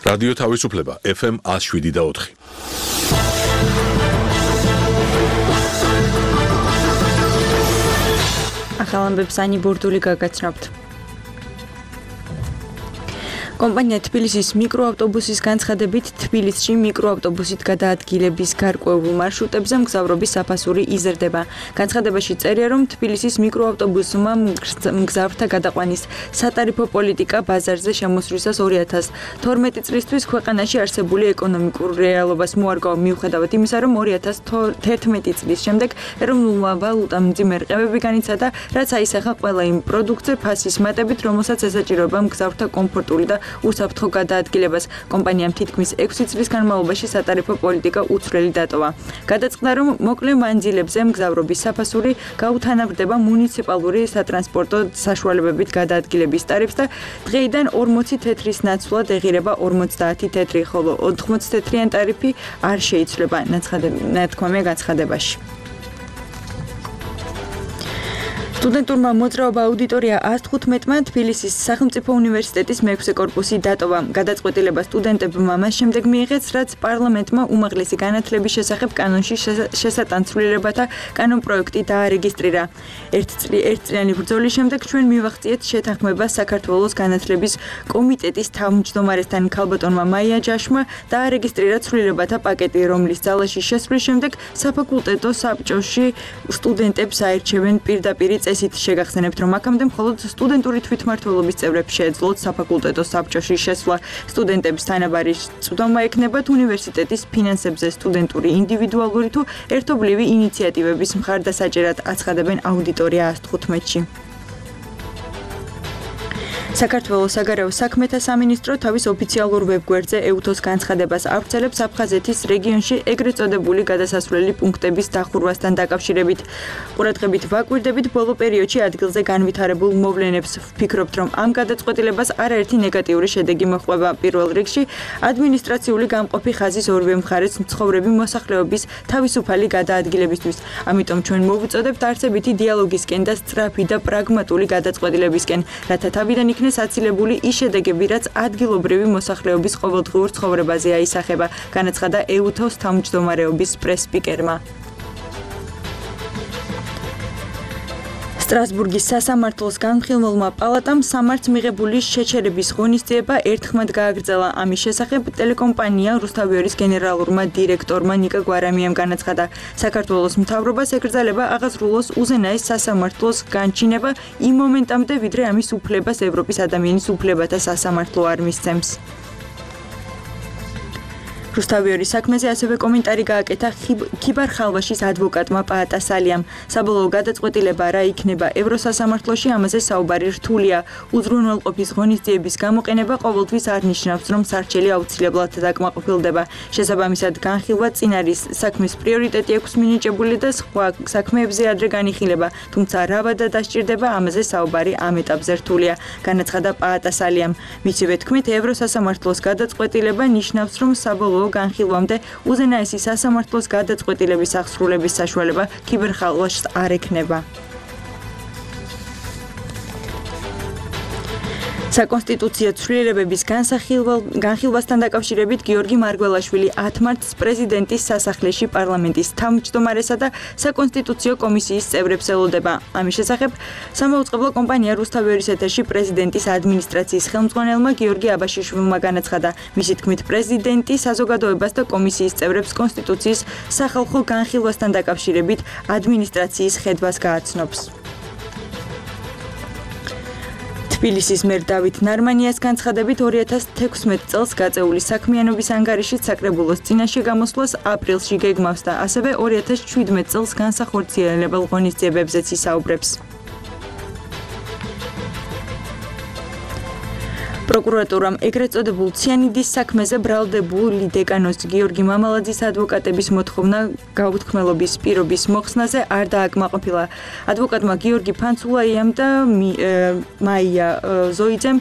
რადიო თავისუფლება FM 107.4. ახალ ამბებს ანი ბურდული გაგაცნობთ. კომპანია თბილისის მიკროავტობუსის განცხადებით თბილისში მიკროავტობუსით გადაადგილების გარკვეულ მარშრუტებზე მგზავრობის საფასური იზრდება. განცხადებაში წერია, რომ თბილისის მიკროავტობუსმა მგზავრთა გადაყვანის სატარიფო პოლიტიკა ბაზარზე შემოსვლისას 2012 წლისთვის ქვეყანაში არსებული ეკონომიკურ რეალობას მოარგო მიუხედავად იმისა, რომ 2011 წლის შემდეგ ეროვნულმა ვალუტამ მძიმე განიცადა, რაც აისახა ყველა იმ პროდუქტზე ფასის მატებით, რომელსაც ესაჭიროება მგზავრთა კომფორტული და უსაფრთხო გადაადგილებას. კომპანიამ თითქმის 6 წლის განმავლობაში სატარიფო პოლიტიკა უცვლელი დატოვა. გადაწყდა, რომ მოკლე მანძილებზე მგზავრობის საფასური გაუთანაბრდება მუნიციპალური სატრანსპორტო საშუალებებით გადაადგილების ტარიფს და დღეიდან 40 თეთრის ნაცვლად ეღირება 50 თეთრი, ხოლო 80 თეთრიან ტარიფი არ შეიცვლება, ნათქვამია განცხადებაში. სტუდენტურმა მოძრაობა აუდიტორია 115-მა თბილისის სახელმწიფო უნივერსიტეტის მე-6 კორპუსი დატოვა. გადაწყვეტილება სტუდენტებმა მას შემდეგ მიიღეს, რაც პარლამენტმა უმაღლესი განათლების შესახებ კანონში შესატანცვლილებათა კანონპროექტი დაარეგისტრირა. ერთწლიანი ბრძოლის შემდეგ ჩვენ მივახციეთ შეთანხმება საქართველოს განათლების კომიტეტის თავმჯდომარესთან ქალბატონმა მაია ჯაშმა დაარეგისტრირა ცვლილებათა პაკეტი, რომლის ძალაში შესვლის შემდეგ საფაკულტეტო საბჭოში სტუდენტებს აირჩევენ პირდაპირ წესით. შეგახსენებთ, რომ აქამდე მხოლოდ სტუდენტური თვითმმართველობის წევრებს შეეძლოთ საფაკულტეტო საბჭოში შესვლა. სტუდენტებს თანაბარი წვდომა ექნებათ უნივერსიტეტის ფინანსებზე სტუდენტური ინდივიდუალური თუ ერთობლივი ინიციატივების მხარდასაჭერად, აცხადებენ აუდიტორია 115-ში. საქართველოს საგარეო საქმეთა სამინისტრო თავის ოფიციალურ ვებგვერდზე ეუთოს განცხადებას ავრცელებს აფხაზეთის რეგიონში ეგრეთ წოდებული გადასასვლელი პუნქტების დახურვასთან დაკავშირებით. ყურადღებით ვაკვირდებით ბოლო პერიოდში ადგილზე განვითარებულ მოვლენებს. ვფიქრობთ, რომ ამ გადაწყვეტილებას არაერთი ნეგატიური შედეგი მოჰყვება. პირველ რიგში ადმინისტრაციული გამყოფი ხაზის ორივე მხარეს მცხოვრები მოსახლეობის თავისუფალი გადაადგილებისთვის. ამიტომ ჩვენ მოვუწოდებთ არსებითი დიალოგისკენ და სწრაფი და პრაგმატული გადაწყვეტილებისკენ, რათა თავიდან იქნეს აცილებული ის შედეგები, რაც ადგილობრივი მოსახლეობის ყოველდღიურ ცხოვრებაზე აისახება, განაცხადა ეუთოს თავმჯდომარეობის პრეს-სპიკერმა. სტრასბურგის სასამართლოს განხილველმა პალატამ სამართს მიღებული შეჩერების ღონისძიება ერთხმად გააგრძელა. ამის შესახებ ტელეკომპანია რუსთავიორის გენერალურმა დირექტორმა ნიკა გვარამიამ განაცხადა, საქართველოს მთავრობას ეკრძალება აღაზრულოს უზენაეს სასამართლოს განჩინება იმ მომენტამდე, ვიდრე ამის უფლებას ევროპის ადამიანის უფლებათა სასამართლო არ მისცემს. რუსთავიორის საქმეზე ასევე კომენტარი გააკეთა ქიბარ ხალვაშის ადვოკატმა პაატასალიამ. საბოლოო გადაწყვეტილება რა იქნება ევროსასამართლოში, ამაზე საუბარი რთულია. უზრუნველყოფის ღონისძიების გამოყენება ყოველთვის არ ნიშნავს, რომ სარჩელი აუცილებლად დაკმაყოფილდება. შესაბამისად, განხილვა წინ არის, საქმის პრიორიტეტი აქვს მინიჭებული და სხვა საქმეებზე ადრე განიხილება, თუმცა რა ვადა დასჭირდება, ამაზე საუბარი ამ ეტაპზე რთულია, განაცხადა პაატასალიამ. მისივე თქმით, ევროსასამართლოს გადაწყვეტილება ნიშნავს, რომ საბოლოო განხილვამდე უზენაესი სასამართლოს გადაწყვეტილების აღსრულების საშუალება ქიბერხალვაშს არ ექნება. საკონსტიტუციო ცვლილებების განხილვასთან დაკავშირებით გიორგი მარგველაშვილი 10 მარტს პრეზიდენტის სასახლეში პარლამენტის თავმჯდომარესა და საკონსტიტუციო კომისიის წევრებს ელოდება. ამის შესახებ სამაუწყებლო კომპანია რუსთავიორის ეთერში პრეზიდენტის ადმინისტრაციის ხელმძღვანელმა გიორგი აბაშიშვილმა განაცხადა, მისი თქმით პრეზიდენტი საზოგადოებას და კომისიის წევრებს კონსტიტუციის სახალხო განხილვასთან დაკავშირებით ადმინისტრაციის ხედვას გააცნობს. თბილისის მერ დავით ნარმანიას განცხადებით 2016 წელს გაწეული საქმიანობის ანგარიშით საკრებულოს წინაშე გამოსვლას აპრილში გეგმავს და ასევე 2017 წელს განსახორციელებელ ღონისძიებებზეც ისაუბრებს. პროკურატურამ ეგრეთ წოდებულ ციანიდის საქმეზე ბრალდებული დეკანოს გიორგი მამალაძის ადვოკატების მოთხოვნა გაუთქმელობის პირობის მოხსნაზე არ დააკმაყოფილა. ადვოკატმა გიორგი ფანცულაიამ და მაია ზოიძემ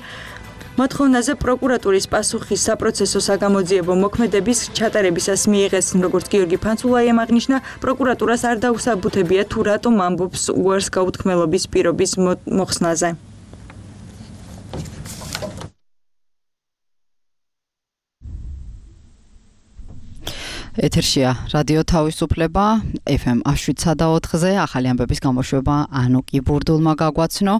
მოთხოვნაზე პროკურატურის პასუხი საპროცესო საგამოძიებო მოქმედების ჩატარებისას მიიღეს, როგორც გიორგი ფანცულაიამ აღნიშნა, პროკურატურას არ დაუსაბუთებია თუ რატომ ამბობს უარს გაუთქმელობის პირობის მოხსნაზე. ეთერშია რადიო თავისუფლება FM 107.4-ზე ახალი ამბების გამოშვება ანუკი ბურდულმა გაგვაცნო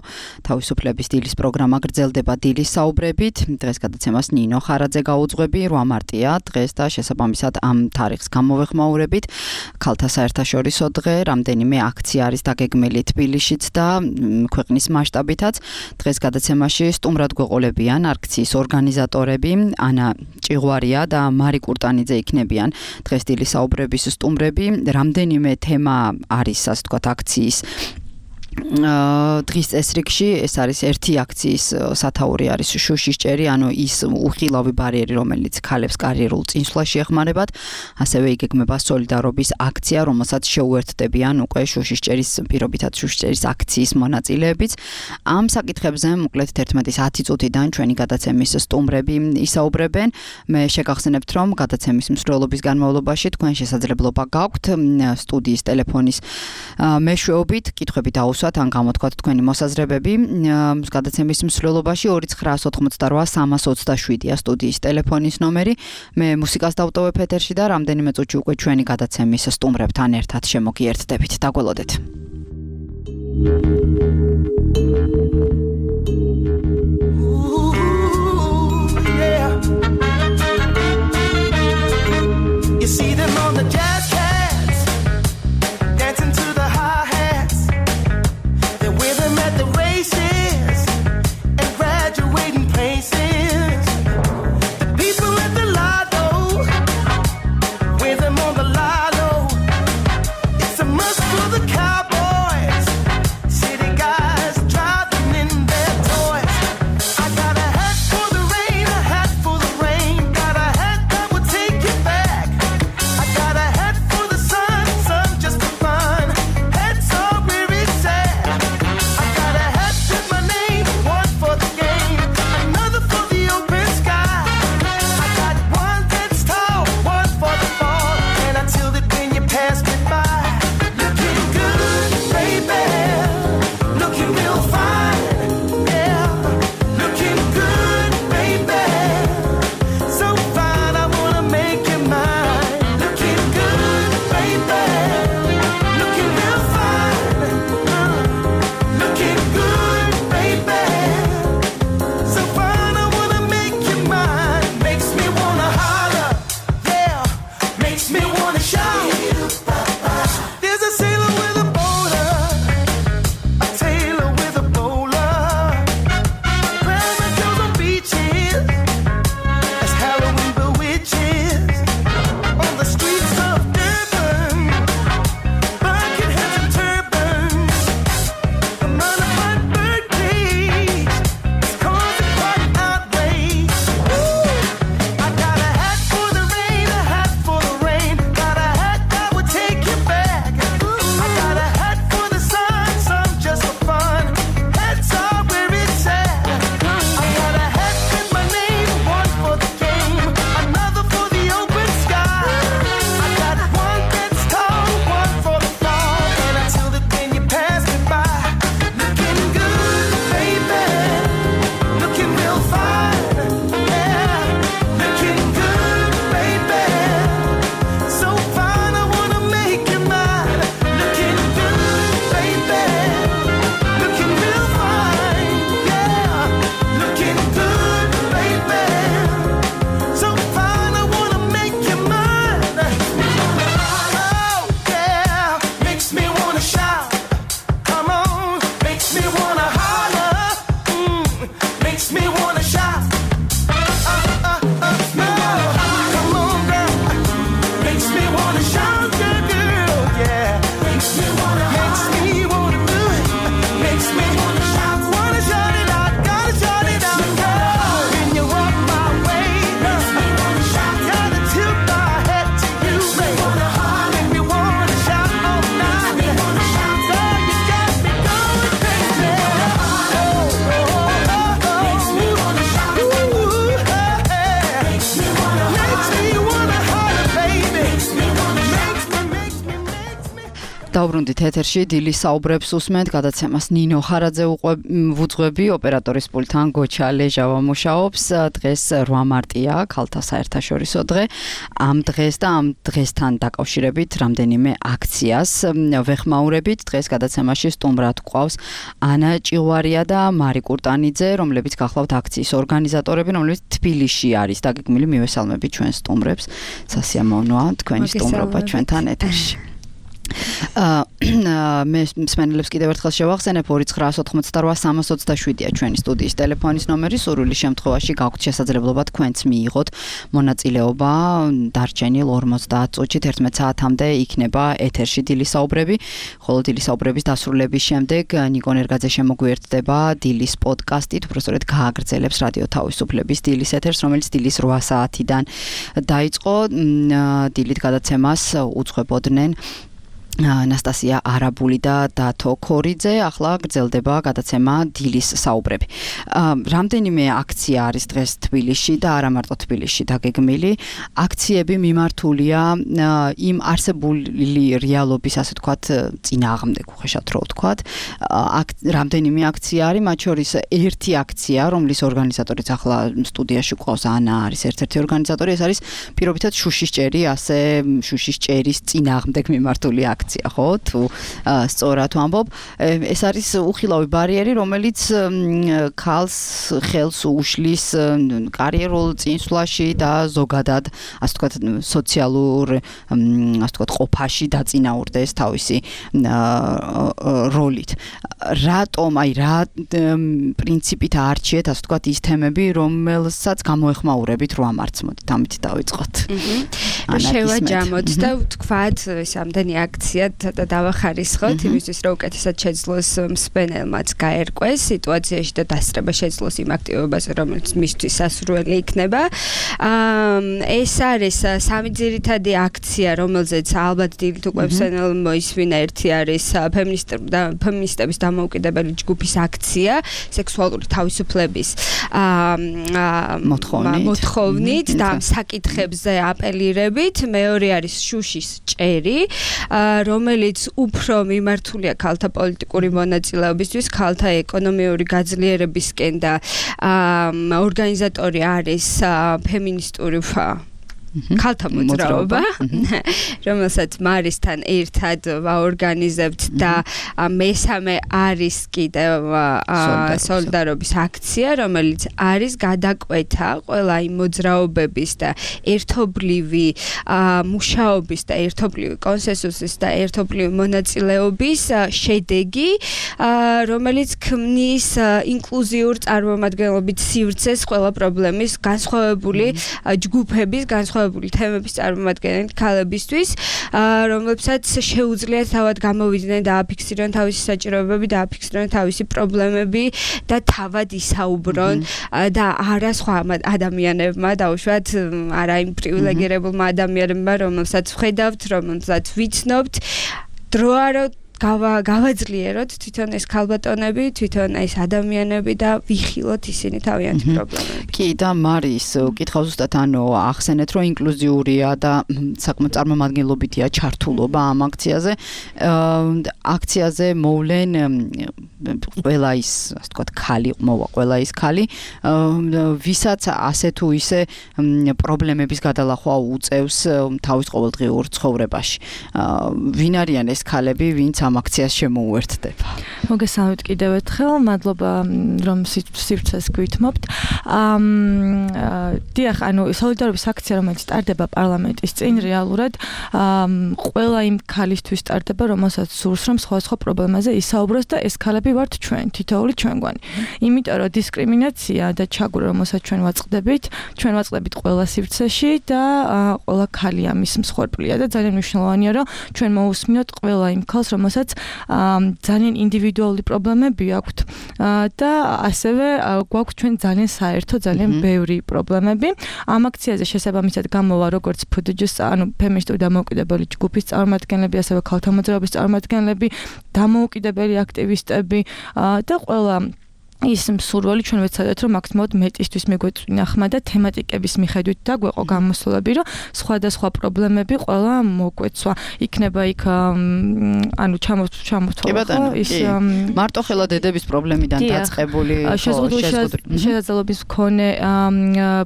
თავისუფლების დილის პროგრამა გრძელდება დილის საუბრებით დღეს გადაცემას ნინო ხარაძე გაუძღვები 8 მარტია დღეს და შესაბამისად ამ თარიღს გამოვეხმაურებით ქალთა საერთაშორისო დღე რამდენიმე აქცია არის დაგეგმილი თბილისშიც და ქვეყნის მასშტაბითაც დღეს გადაცემაში სტუმრად გვეყოლებიან აქციის ორგანიზატორები ანა ჭიღვარია და მარი კურტანიძე იქნებიან დღეს დილის საუბრების სტუმრები რამდენიმე თემა არის ასე ვთქვათ აქციის დღის წესრიგში ეს არის ერთი აქციის სათაური არის შუშისჭერი ანუ ის უხილავი ბარიერი რომელიც ქალებს კარიერულ წინსვლაში ეხმარებათ ასევე იგეგმება სოლიდარობის აქცია რომელსაც შეუერთდებიან უკვე შუშისჭერის პირობითად შუშისჭერის აქციის მონაწილეებიც ამ საკითხებზე მოკლედ 11:10 წუთიდან ჩვენი გადაცემის სტუმრები ისაუბრებენ მე შეგახსენებთ რომ გადაცემის მსვლელობის განმავლობაში თქვენ შესაძლებლობა გაქვთ სტუდიის ტელეფონის მეშვეობით კითხვები დაუსვათ ან გამოთქვათ თქვენი მოსაზრებები გადაცემის მსვლელობაში 2988 სტუდიის ტელეფონის ნომერი მე მუსიკას დავტოვებ ეთერში და რამდენიმე წუთში უკვე ჩვენი გადაცემის სტუმრებთან ერთად შემოგიერთდებით დაგველოდეთ You see them on the jazz cats dancing to the hi-hats they're with them at the races and graduating places the people at the lotto with them on the lotto it's a must for the cowboys city guys დავბრუნდით ეთერში დილის საუბრებს უსმენთ გადაცემას ნინო ხარაძე ვუძღვები ოპერატორის პულტთან გოჩა ლეჟავა მუშაობს დღეს 8 მარტია ქალთა საერთაშორისო დღე ამ დღეს და ამ დღესთან დაკავშირებით რამდენიმე აქციას ვეხმაურებით დღეს გადაცემაში სტუმრად გვყავს ანა ჭიღვარია და მარი კურტანიძე რომლებიც გახლავთ აქციის ორგანიზატორები რომლებიც თბილისში არის დაგეგმილი მივესალმებით ჩვენ სტუმრებს სასიამოვნოა თქვენი სტუმრობა ჩვენთან ეთერში მე მსმენელებს კიდევ ერთხელ შევახსენებ 2988-327-ია ჩვენი სტუდიის ტელეფონის ნომერი სურვილი შემთხვევაში გაქვთ შესაძლებლობა თქვენც მიიღოთ მონაწილეობა დარჩენილ 50 წუთში 11 საათამდე იქნება ეთერში დილის საუბრები ხოლო დილის საუბრების დასრულების შემდეგ ნიკო ნერგაძე შემოგვიერთდება დილის პოდკასტით უბრალოდ გააგრძელებს რადიო თავისუფლების დილის ეთერს რომელიც დილის 8 საათიდან დაიწყო დილით გადაცემას უძღვებოდნენ ანასტასია არაბული და დათო ქორიძე ახლა გრძელდება გადაცემა დილის საუბრები. რამდენიმე აქცია არის დღეს თბილისში და არა მარტო თბილისში დაგეგმილი. აქციები მიმართულია იმ არსებული რეალობის ასე ვთქვათ წინააღმდეგ უხეშად რო ვთქვათ. რამდენიმე აქცია არის, მათ შორის ერთი აქცია, რომლის ორგანიზატორიც ახლა სტუდიაში გვყავს ანა არის ერთ-ერთი ორგანიზატორი, ეს არის პირობითად შუშის ჭერი, ასე შუშის ჭერის წინააღმდეგ მიმართული აქცია. ხო თუ სწორად ვამბობ ეს არის უხილავი ბარიერი რომელიც ქალს ხელს უშლის კარიერულ წინსვლაში და ზოგადად ასე ვთქვათ სოციალურ ასე ვთქვათ ყოფაში დაწინაურდეს თავისი როლით რატომ აი რა პრინციპით არჩიეთ ასე ვთქვათ ის თემები რომელსაც გამოეხმაურებით 8 მარტს მოდით ამით დავიწყოთ შევაჯამოთ და ვთქვათ ეს ამდენი აქცია და დავახარისხოთ იმისთვის რომ უკეთესად შეძლოს მსმენელმაც გაერკვეს სიტუაციაში და დასწრება შეძლოს იმ აქტივობაზე რომელიც მისთვის სასურველი იქნება ეს არის სამი ძირითადი აქცია რომელზეც ალბათ დილით უკვე მსმენელმა მოისმინა ერთი არის ფემინისტების დამოუკიდებელი ჯგუფის აქცია სექსუალური თავისუფლების მოთხოვნით და ამ საკითხებზე აპელირებით მეორე არის შუშის ჭერი რომელიც უფრო მიმართულია ქალთა პოლიტიკური მონაწილეობისთვის, ქალთა ეკონომიური გაძლიერებისკენ და ორგანიზატორი არის ფემინისტური ქალთა მოძრაობა, რომელსაც მარისთან ერთად ვაორგანიზებთ და მესამე არის კიდევ სოლიდარობის აქცია, რომელიც არის გადაკვეთა ყველა იმ მოძრაობების და ერთობლივი მუშაობის და ერთობლივი კონსენსუსის და ერთობლივი მონაწილეობის შედეგი, რომელიც ქმნის ინკლუზიურ წარმომადგენლობით სივრცეს ყველა პრობლემის განსხვავებული ჯგუფების განსხვავებული თემების წარმომადგენელი ქალებისთვის, რომლებსაც შეუძლიათ თავად გამოვიდნენ და აფიქსირონ თავისი საჭიროებები და აფიქსირონ თავისი პრობლემები და თავად ისაუბრონ და არა სხვა ადამიანებმა დაუშვათ არა იმ პრივილეგირებულმა ადამიანებმა, რომელსაც ვხედავთ, რომელსაც ვიცნობთ, დროა რომ გავაძლიეროთ თვითონ ეს ქალბატონები, თვითონ ეს ადამიანები და ვიხილოთ ისინი თავიანთი პრობლემები. კი და მარის კითხავს ზუსტად ანუ ახსენეთ რომ ინკლუზიურია და საკმაოდ წარმომადგენლობითია ჩართულობა ამ აქციაზე. აქციაზე მოვლენ ყველა ის ასე ვთქვათ ქალი მოვა ყველა ის ქალი ვისაც ასე თუ ისე პრობლემების გადალახვა უწევს თავის ყოველდღიურ ცხოვრებაში. ვინ არიან ეს ქალები, ვინც ამ აქციას შემოუერთდება. მოგესალმებით კიდევ ერთხელ, მადლობა რომ სივრცეს გვითმობთ. დიახ, ანუ სოლიდარობის აქცია რომელიც ტარდება პარლამენტის წინ რეალურად ყველა იმ ქალისთვის ტარდება, რომელსაც სურს რომ სხვადასხვა პრობლემაზე ისაუბროს და ეს ქალები ვართ ჩვენ, თითოეული ჩვენგვანი. იმიტომ რომ დისკრიმინაცია და ჩაგვრა რომელსაც ჩვენ ვაწყდებით ყველა სივრცეში და ყველა ქალი ამის მსხვერპლია და ძალიან მნიშვნელოვანია რომ ჩვენ მოусმინოთ ყველა იმ ქალს რომელსაც ძალიან ინდივიდუალური პრობლემები აქვთ და ასევე გვაქვს ჩვენ ძალიან საერთო, ძალიან ბევრი პრობლემები. ამ აქციაზე შესაბამისად გამოვა როგორც ფდჯ-ის, ანუ ფემინისტური დამოუკიდებელი ჯგუფის წარმომადგენლები, ასევე ქალთა მოძრაობის წარმომადგენლები, დამოუკიდებელი აქტივისტები და ყველა ის მსურველი ჩვენ ვეცადეთ რომ მაქსიმალურად მეტისთვის მიგვეწვინა ხმა და თემატიკების მიხედვით დაგვეყო გამოსვლები რომ სხვადასხვა პრობლემები ყველა მოგვეცვა იქნება იქ ანუ ჩამოთვალა ის მარტო ხელა დედების პრობლემიდან დაწყებული შესაძლებლობის მქონე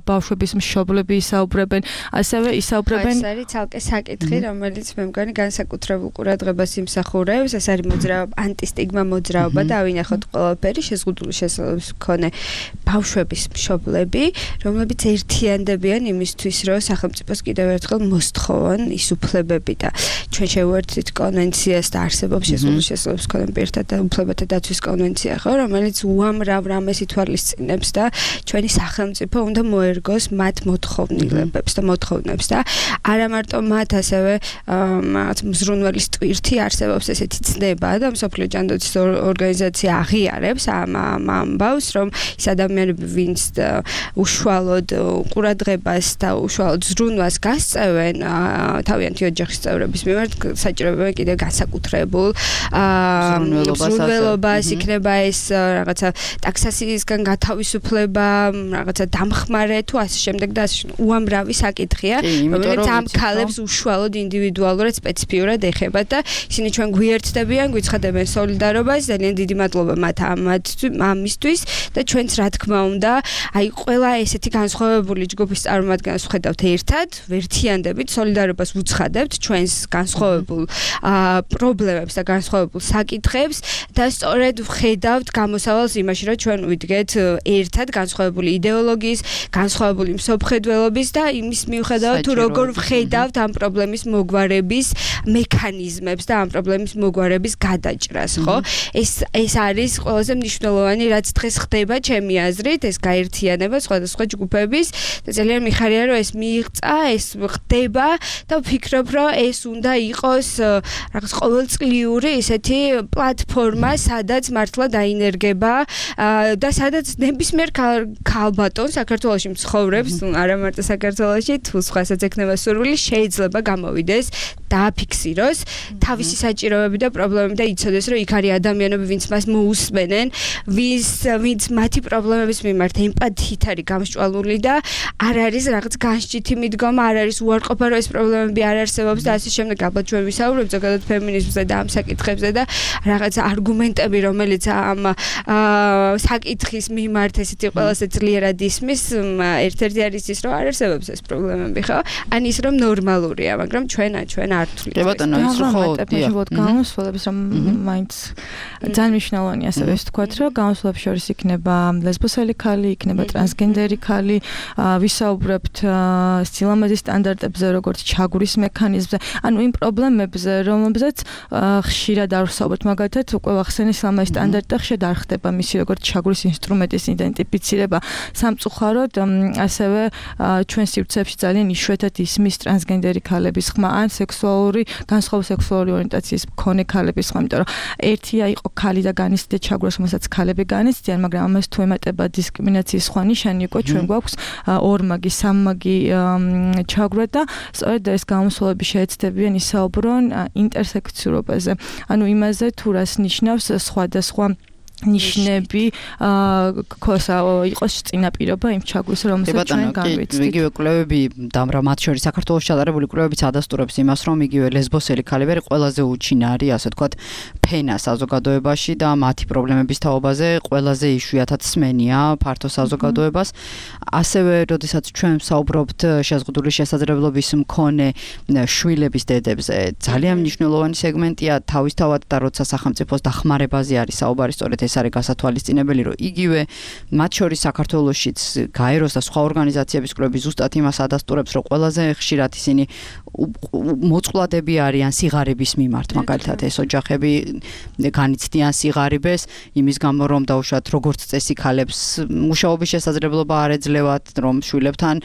ბავშვების მშობლები ისაუბრებენ ასევე ისაუბრებენ ეს არის ცალკე საკითხი რომელიც მე მგონი განსაკუთრებულ ყურადღებას იმსახურებს ეს არის მოძრაობა ანტისტიგმა მოძრაობა და ავინახოთ ყველაფერი შეზღუდული შესაძლებლობის მქონე ბავშვების მშობლები რომლებიც ერთიანდებიან იმისთვის რომ სახელმწიფოს კიდევ ერთხელ მოსთხოვონ ის უფლებები და ჩვენ შევერთდით კონვენციას და არსებობს შეზღუდული შესაძლებლობის მქონე პირთა და უფლებათა დაცვის კონვენცია ხო რომელიც უამრავ რამეს ითვალისწინებს და ჩვენი სახელმწიფო უნდა მოერგოს მათ მოთხოვნილებებს და მოთხოვნებს და არა მარტო მათ ასევე რაღაც მზრუნველის ტვირთი არსებობს ესეთი ცნება და მსოფლიო ჯანდაცვის ორგანიზაცია აღიარებს ამ ამბავს რომ ის ადამიანები ვინც უშუალოდ ყურადღებას და უშუალოდ ზრუნვას გასწევენ თავიანთი ოჯახის წევრების მიმართ საჭიროებენ კიდევ განსაკუთრებულ ზრუნველობას იქნება ეს რაღაცა ტაქსაციისგან გათავისუფლება რაღაცა დამხმარე თუ ასე შემდეგ და უამრავი საკითხია რომელიც ამ ქალებს უშუალოდ ინდივიდუალურად სპეციფიურად ეხება და ისინი ჩვენ გვიერთდებიან გვიცხადებენ სოლიდარობას ძალიან დიდი მადლობა მათ ამისთვის და ჩვენც რა თქმა უნდა აი ყველა ესეთი განსხვავებული ჯგუფის წარმომადგენლებს ვხედავთ ერთად ვერთიანდებით სოლიდარობას ვუცხადებთ ჩვენს განსხვავებულ პრობლემებს და განსხვავებულ საკითხებს და სწორედ ვხედავთ გამოსავალს იმაში რომ ჩვენ ვიდგეთ ერთად განსხვავებული იდეოლოგიის განსხვავებული მსოფლმხედველობის და იმის მიუხედავად თუ როგორ ვხედავთ ამ პრობლემის მოგვარების მექანიზმებს და ამ პრობლემის მოგვარების გადაჭრას ხო ეს არის ყველაზე მნიშვნელოვანი რაც დღეს ხდება ჩემი აზრით ეს გაერთიანება სხვადასხვა ჯგუფების და ძალიან მიხარია რომ ეს მიიღწა ეს ხდება და ვფიქრობ რომ ეს უნდა იყოს რაღაც ყოველწლიური ესეთი პლატფორმა სადაც მართლა დაინერგება და სადაც ნებისმიერ ქალბატონ საქართველოში მცხოვრებს არა მარტო საქართველოში თუ სხვასაც ექნება სურვილი შეიძლება გამოვიდეს დააფიქსიროს თავისი საჭიროებები და პრობლემები და იცოდეს რომ იქ არის ადამიანები ვინც მას მოусმენენ ვინც მათი პრობლემების მიმართ ემპათიით არის გამსჭვალული და არ არის რაღაც განსჭითი მიდგომა არ არის უარყოფა რომ ეს პრობლემები არ არსებობს და ასე შემდეგ ალბათ ჩვენ ვისაუბრებთ ზოგადად ფემინიზმზე და ამ საკითხებზე და რაღაც არგუმენტები რომელიც ამ საკითხის მიმართ ესეთი ყველაზე ძლიერად ისმის ერთ-ერთი არის ის რომ არ არსებობს ეს პრობლემები ხო ან ის რომ ნორმალურია მაგრამ ჩვენ არ თვლით კი ბატონო ის ხო გამოსვლების რომ მაინც ძალიან მნიშვნელოვანია ასევე ეს თქვათ რომ გამოსვლებს შორის იქნება ლესბოსელი ხალი იქნება ტრანსგენდერი ხალი ვისაუბრებთ სილამაზის სტანდარტებზე როგორც ჩაგვრის მექანიზმზე ანუ იმ პრობლემებზე რომელზეც ხშირად არ ვსაუბრობთ მაგალითად უკვე ვახსენე სილამაზის სტანდარტი ხშირად არ ხდება მისი როგორც ჩაგვრის ინსტრუმენტის იდენტიფიცირება სამწუხაროდ ასევე ჩვენ სივრცეებში ძალიან იშვიათად ისმის ტრანსგენდერი ხალების ხმა ან სექსუალური განსხვავებული სექსუალური ორიენტაციის მქონე ხალების ხმა იმიტომ რომ ერთია იყო ხალი და განიცდიდა ჩაგვას რომელსაც ხალები განიცდიან მაგრამ ამას თუ ემატება დისკრიმინაციის სხვა ნიშანი უკვე ჩვენ გვაქვს ორმაგი სამმაგი ჩაგვრა და სწორედ ეს გამოსვლები შეეცდებიან ისაუბრონ ინტერსექციურობაზე ანუ იმაზე თუ რას ნიშნავს სხვადასხვა ნიშნები ქოსა იყოს წინაპირობა იმ ჩაგვრის რომელსაც ჩვენ განვიცდით. იგივე კვლევები დამრა მათ შორის საქართველოს ჩატარებული კვლევებიც ადასტურებს იმას რომ იგივე ლესბოსელი ხალები ყველაზე უჩინარი ასე ვთქვათ ფენა საზოგადოებაში და მათი პრობლემების თაობაზე ყველაზე იშვიათად სმენია ფართო საზოგადოებას. ასევე როდესაც ჩვენ ვსაუბრობთ შეზღუდული შესაძლებლობის მქონე შვილების დედებზე ძალიან მნიშვნელოვანი სეგმენტია თავისთავად და როცა სახელმწიფოს დახმარებაზე არის საუბარი სწორედ ეს არის გასათვალისწინებელი რომ იგივე მათ შორის საქართველოშიც გაეროს და სხვა ორგანიზაციების კვლევები ზუსტად იმას ადასტურებს რომ ყველაზე ხშირად ისინი მოწყვლადები არიან სიღარიბის მიმართ მაგალითად ეს ოჯახები განიცდიან სიღარიბეს იმის გამო რომ დაუშვათ როგორც წესი ქალებს მუშაობის შესაძლებლობა არ ეძლევათ რომ შვილებთან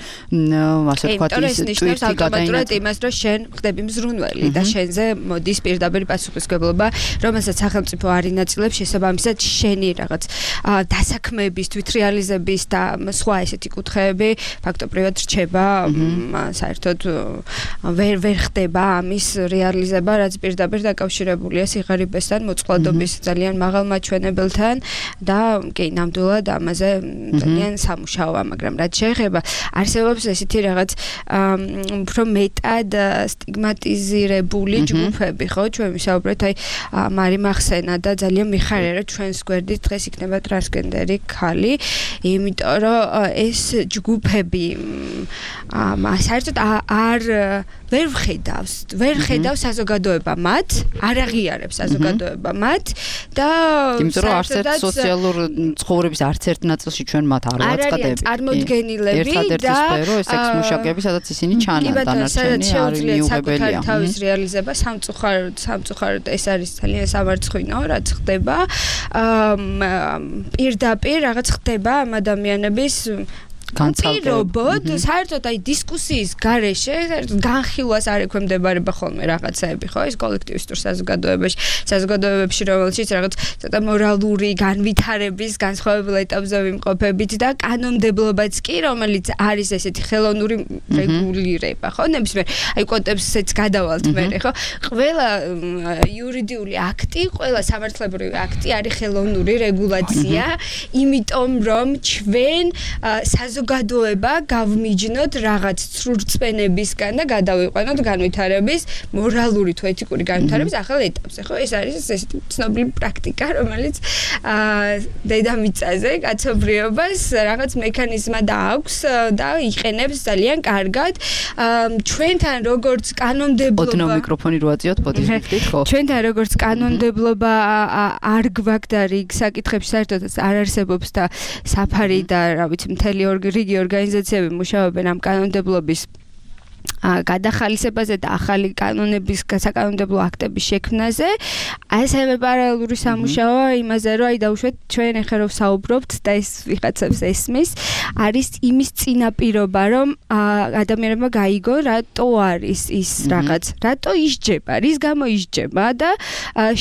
ასე ვთქვათ ის ტვირთი გადაინათ იმას რომ შენ ხდები მზრუნველი და შენზე მოდის პირდაპირ პასუხისმგებლობა რომელსაც სახელმწიფო არ ინაწილებს შესაბამისად შენი რაღაც დასაქმების თვითრეალიზების და სხვა ესეთი კუთხეები ფაქტობრივად რჩება საერთოდ ვერ ხდება ამის რეალიზება, რაც პირდაპირ დაკავშირებულია სიღარიბესთან, მოწყვლადობის ძალიან მაღალ მაჩვენებელთან და კი, ნამდვილად ამაზე ძალიან სამუშაოა, მაგრამ რაც შეეხება არსებობს ესეთი რაღაც უფრო მეტად სტიგმატიზირებული ჯგუფები, ხო? ჩვენ ვისაუბრეთ, აი მარი მახსენა და ძალიან მიხარია, რომ ჩვენს გვერდით დღეს იქნება ტრანსგენდერი ქალი, იმიტომ რომ ეს ჯგუფები საერთოდ ვერ ხედავს საზოგადოება მათ, არ აღიარებს საზოგადოება მათ და იმიტომ რომ არც ერთ სოციალურ ცხოვრების არც ერთ ნაწილში ჩვენ მათ არ ვაწყდებით. წარმოდგენილები და ერთადერთი სფერო ეს სექს-მუშაკები, სადაც ისინი ჩანან, დანარჩენი არ მიუღებელია. თავის რეალიზება სამწუხაროდ ეს არის ძალიან სამარცხვინო, რაც ხდება. პირდაპირ რაღაც ხდება ამ ადამიანების პირობოდ, საერთოდ აი დისკუსიის გარეშე განხილვას არ ექვემდებარება ხოლმე რაღაცაები, ხო? ეს კოლექტივისტურ საზოგადოებებში, რომელშიც რაღაც ცოტა მორალური განვითარების განსხვავებულ ეტაპზე ვიმყოფებით და კანონმდებლობაც კი, რომელიც არის ესეთი ხელოვნური რეგულირება, ხო? ნებისმიერ აი კონტექსტს გადავალთ მერე, ხო? ყველა იურიდიული აქტი, ყველა სამართლებრივი აქტი არის ხელოვნური რეგულაცია, იმიტომ რომ ჩვენ საზოგადოება გავმიჯნოთ რაღაც ცრურწმენებისგან და გადავიყვანოთ განვითარების მორალური თუ ეთიკური განვითარების ახალ ეტაპზე, ხო? ეს არის ესეთი ცნობილი პრაქტიკა, რომელიც დედამიწაზე კაცობრიობას რაღაც მექანიზმად აქვს და იყენებს ძალიან კარგად. ჩვენთან როგორც კანონმდებლობა ოდნავ მიკროფონი რო აწიოთ, პოდკასტით, ხო? ჩვენთან როგორც კანონმდებლობა არ გვაქვს და რიგ საკითხებში საერთოდ არ არსებობს და საფარი და რა ვიცი მთელი რიგი ორგანიზაციები მუშაობენ ამ კანონმდებლობის გადახალისებაზე და ახალი კანონების საკანონმდებლო აქტების შექმნაზე. ასევე პარალელური სამუშაო იმაზე, რომ აი დავუშვათ ჩვენ ახლა რომ საუბრობთ და ეს ვიღაცებს ესმის, არის იმის წინაპირობა, რომ ადამიანებმა გაიგონ, რატო არის ის რაღაც, რატო ისჯება, რის გამო ისჯება და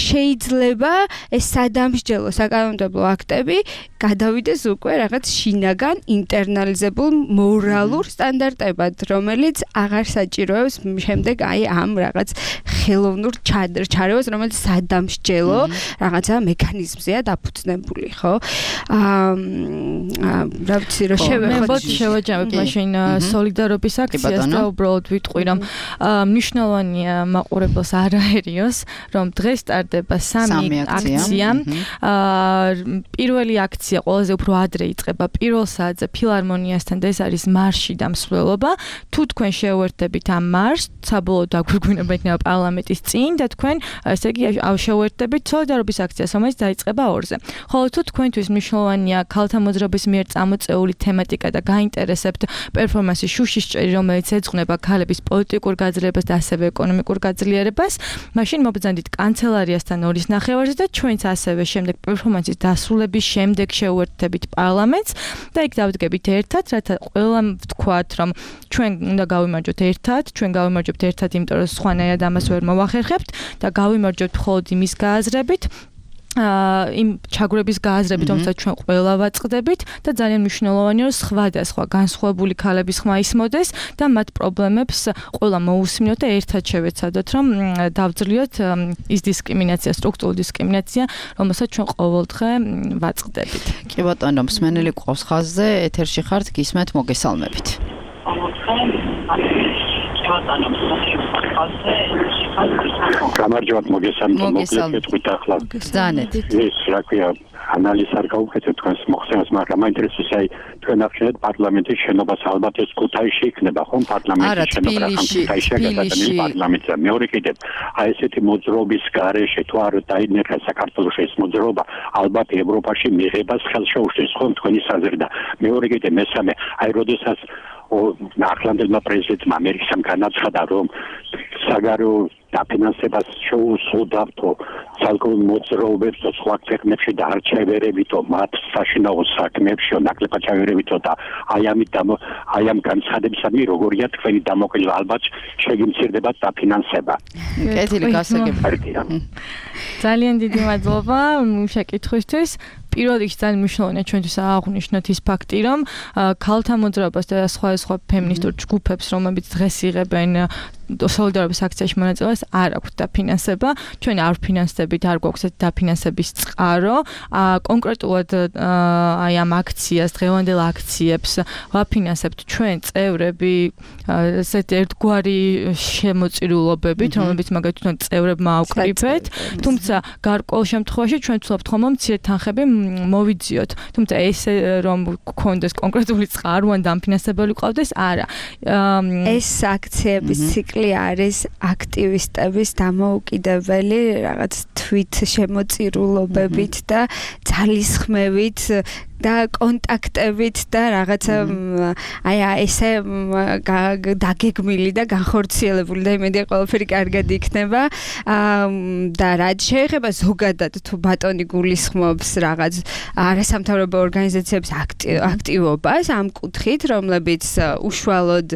შეიძლება ეს სადამსჯელო საკანონმდებლო აქტები გადავიდეს უკვე რაღაც შინაგან ინტერნალიზებულ მორალურ სტანდარტებად, რომელიც აღარ საჭიროებს შემდეგ აი ამ რაღაც ხელოვნურ ჩარევას, რომელიც სადამსჯელო რაღაცა მექანიზმზეა დაფუძნებული, ხო? რა ვიცი, რომ შევაჯამებ მაშინ სოლიდარობის აქციას და უბრალოდ ვიტყვი, რომ მნიშვნელოვანია მაყურებელს არ აერიოს, რომ დღეს ტარდება 3 აქცია. პირველი აქცია ყველაზე უფრო ადრე იწყება პირველ საათზე ფილარმონიასთან და ეს არის მარში და მსვლელობა. თუ თქვენ შეუერთდებით ამ მარშს, საბოლოო დაგვირგვინება იქნება პარლამენტის წინ და თქვენ ესე იგი შევუერთდებით სოლიდარობის აქციას, რომელიც დაიწყება 2-ზე. ხოლო თუ თქვენთვის მნიშვნელოვანია ქალთა მოძრაობის მიერ წამოწეული თემატიკა და გაინტერესებთ პერფორმანსი შუშისჭერი, რომელიც ეძღვნება ქალების პოლიტიკურ გაძლიერებას და ასევე ეკონომიკურ გაძლიერებას, მაშინ მობრძანდით კანცელარიასთან 2-ის ნახევარზე და ჩვენც ასევე შემდეგ პერფორმანსის დასრულების შემდეგ შევუერთდებით პარლამენტს და იქ დავდგებით ერთად, რათა ყველამ ვთქვათ, რომ ჩვენ უნდა გავიმარჯვოთ ერთად, იმიტომ რომ სხვანაირად ამას ვერ მოვახერხებთ და გავიმარჯვოთ მხოლოდ იმის გააზრებით, იმ ჩაგვრების გააზრებით, რომელსაც ჩვენ ყველა ვაწყდებით და ძალიან მნიშვნელოვანია, რომ სხვადასხვა განსხვავებული ქალების ხმა ისმოდეს და მათ პრობლემებს ყველა მოусმინოთ და ერთად შევეცადოთ, რომ დავძლიოთ ის დისკრიმინაცია, სტრუქტურული დისკრიმინაცია, რომელსაც ჩვენ ყოველდღე ვაწყდებით. კი ბატონო, მსმენელი ყავს ხაზზე, ეთერში ხართ, გისმენთ, მოგესალმებით. გამარჯვებათ, მოგესალმებით, თქვით ახლა. ზანეთ. ეს რა ქვია, ანალიზ არ გავუკეთეთ თქვენს მოხსენას, მაგრამ მაინტერესებს აი თქვენ აღნიშნეთ პარლამენტის შენობას ალბათ ეს ქუთაისში იქნება, ხომ? პარლამენტის შენობა ქუთაისში გადაწყდა პარლამენტზე. მეორე კიდევ აი ესეთი მოძრაობის გარეშე თუ არ დაინერგა საქართველოს ეს მოძრაობა, ალბათ ევროპაში მიღებას ხელს შეუშლის, ხომ თქვენი საზრდა. მეორე კიდევ მესამე, აი როდესაც ახლანდელმა პრეზიდენტმა ამერიკამ განაცხადა, რომ საგარეო დაფინანსებას შეუსრულდავთო ცალკეულ მოძრაობებს და სხვა ქვეყნებში და არ ჩაევერებითო მათ საშინაო საქმეებში, ნაკლებად ჩაევერებითო და აი ამ განცხადებისადმი როგორია თქვენი დამოკიდება, ალბათ შეგიმცირდება დაფინანსება. კეთილი გასაგები. ძალიან დიდი მადლობა შეკითხვისთვის. პირველ რიგში ძალიან მნიშვნელოვანია ჩვენთვის აღნიშნოთ ის ფაქტი, რომ ქალთა მოძრაობას და სხვა ფემინისტურ ჯგუფებს, რომლებიც დღეს იღებენ სოლიდარობის აქციაში მონაწილეობას არ აქვს დაფინანსება. ჩვენ არ ვფინანსდებით, არ გვაქვს დაფინანსების წყარო. კონკრეტულად აი ამ აქციას, დღევანდელ აქციებს ვაფინანსებთ ჩვენ წევრები ესეთ ერთგვარი შემოწირულობებით, რომლებიც მაგალითად წევრებმა ავკრიფეთ. თუმცა გარკვეულ შემთხვევაში ჩვენ ვცდილობთ ხომ მცირე თანხები მოვიძიოთ. თუმცა ესე რომ გქონდეს კონკრეტული წყარო ან დაფინანსებელი ყავდეს, არა. ეს აქციების ციკლი არის აქტივისტების დამოუკიდებელი რაღაც თვით შემოწირულობებით და ძალისხმევით და კონტაქტებით და რაღაცა აი ესე დაგეგმილი და განხორციელებული და იმედია ყველაფერი კარგად იქნება და რაც შეეხება ზოგადად თუ ბატონი გულისხმობს რაღაც არასამთავრობო ორგანიზაციების აქტივობას ამ კუთხით, რომლებიც უშუალოდ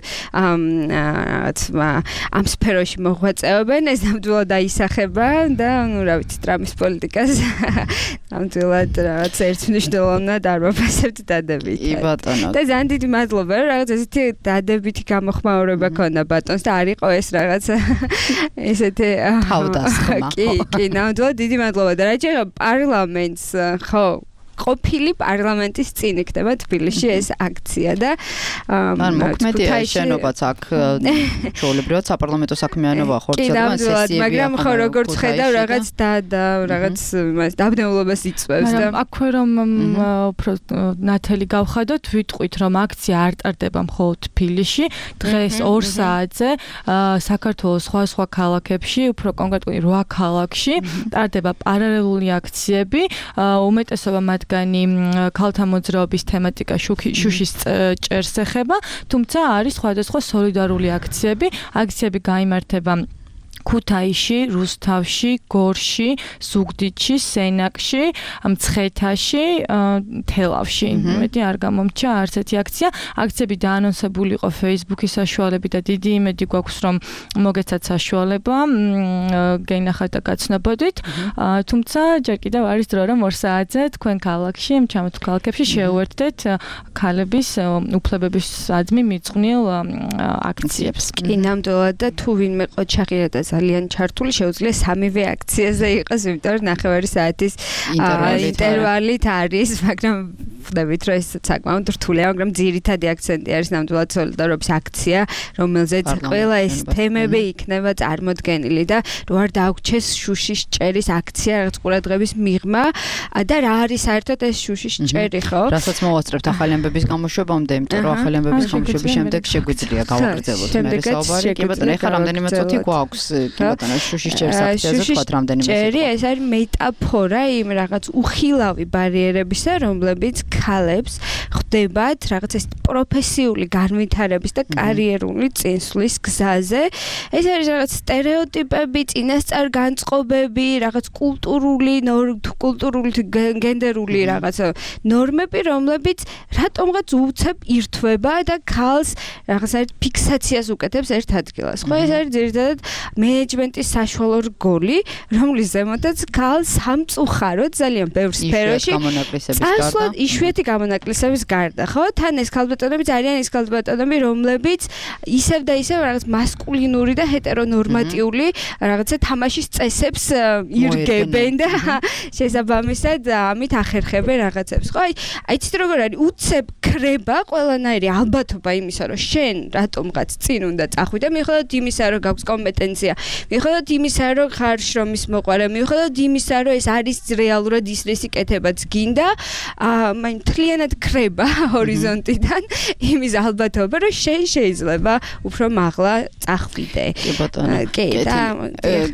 ამ სფეროში მოღვაწეობენ, ეს ნამდვილად აისახება და ნუ რა ვიცი, ტრამპის პოლიტიკას ნამდვილად რაღაც ერთმნიშვნელოვნად არ ვაფასებთ დადებითად. და ძალიან დიდი მადლობა, რომ რაღაც ესეთი დადებითი გამოხმაურება ქონდა ბატონს და არ იყო ეს რაღაც ესეთი თავდასხმა. კი, ნამდვილად დიდი მადლობა და რა შეიძლება პარლამენტს ხო ყოფილი პარლამენტის წინ იქნება თბილისში ეს აქცია და მოქმედია შენობაც აქ ჩვეულებრივად საპარლამენტო საქმიანობა ხორციელდება სესიები, მაგრამ ხო როგორც ხედავ რაღაც რაღაც დაბნეულობას იწვევს და აქვე რომ უფრო ნათელი გავხადოთ, ვიტყვით რომ აქცია არ ტარდება მხოლოდ თბილისში, დღეს 2 საათზე საქართველოს სხვა ქალაქებში, უფრო კონკრეტულად 8 ქალაქში ტარდება პარალელური აქციები, უმეტესობა მათ ქალთა მოძრაობის თემატიკა შუშის ჭერს ეხება, თუმცა არის სხვადასხვა სოლიდარული აქციები გაიმართება ქუთაისში, რუსთავში, გორში, ზუგდიდში, სენაკში, მცხეთაში, თელავში. მეტი არ გამომჩა არც ერთი აქცია. აქციები დაანონსებული იყო Facebook-ის საშუალებით და დიდი იმედი გვაქვს რომ მოგეცათ საშუალება გენახათ და გაცნობოდით. თუმცა ჯერ კიდევ არის დრო რომ 2 საათზე თქვენ ქალაქში, ჩამოთ ქალაქებში შეუერთდეთ ქალების უფლებების საძმი მიძღვნილ აქციებს. კი, ნამდვილად და თუ ვინმე ყოჩაღია და ძალიან ჩართული შეუძლია სამივე აქციაზე იყოს, იმიტომ რომ 9 საათის ინტერვალით არის, მაგრამ ხვდებით რომ ეს საკმაოდ რთულია, მაგრამ ძირითადი აქცენტი არის ნამდვილად სოლიდარობის აქცია, რომელზეც ყველა ეს თემები იქნება წარმოდგენილი და რო არ დაგვჩეს შუშის ჭერის აქცია რაღაც ყურადღების მიღმა და რა არის საერთოდ ეს შუშის ჭერი, ხო? რასაც მოვასწრებთ ახალი ამბების გამოშვებამდე, იმიტომ რომ ახალი ამბების გამოშვების შემდეგ შეგვიძლია გავაგრძელოთ მე საუბარი. კი ბატონო, ეხლა რამდენიმე წუთი გვაქვს. კი ბატონო, შუშის ჭერის აქციაზე თქვათ რამდენიმე წუთი. ჭერი ეს არის მეტაფორა იმ რაღაც უხილავი ბარიერებისა, რომლებიც ქალებს ხდებათ რაღაც ეს პროფესიული განვითარების და კარიერული წინსვლის გზაზე. ეს არის რაღაც სტერეოტიპები, წინასწარ განწყობები, რაღაც კულტურული გენდერული რაღაც ნორმები, რომლებიც რატომღაც უცებ ირთვება და ქალს რაღაც არის ფიქსაციას უკეთებს ერთ ადგილას. ხო, ეს არის ძირითადად მენეჯმენტის საშუალო რგოლი, რომლის ზემოდაც ქალს სამწუხაროდ ძალიან ბევრ სფეროში წასვლა იშვიათი გამონაკლისების გარდა, ხო? თან ეს ქალბატონები ძალიან ის ქალბატონები, რომლებიც ისევ და ისევ რაღაც მასკულინური და ჰეტერონორმატიული რაღაცა თამაშის წესებს ირგებენ და შესაბამისად ამით ახერხებენ რაღაცებს. ხო, აი ცით როგორ არის უცებ ქრება ყველანაირი ალბათობა იმისა, რომ შენ რატომღაც წინ უნდა წახვიდე, მიუხედავად იმისა, რომ გაქვს კომპეტენცია, მიუხედავად იმისა, რომ ხარ შრომის მოყვარე, მიუხედავად იმისა, რომ ეს არის რეალურად ის რისი კეთებაც გინდა, მაინ მთლიანად ქრება ჰორიზონტიდან იმის ალბათობა, რომ შენ შეიძლება უფრო მაღლა წახვიდე. კი ბატონო. კი და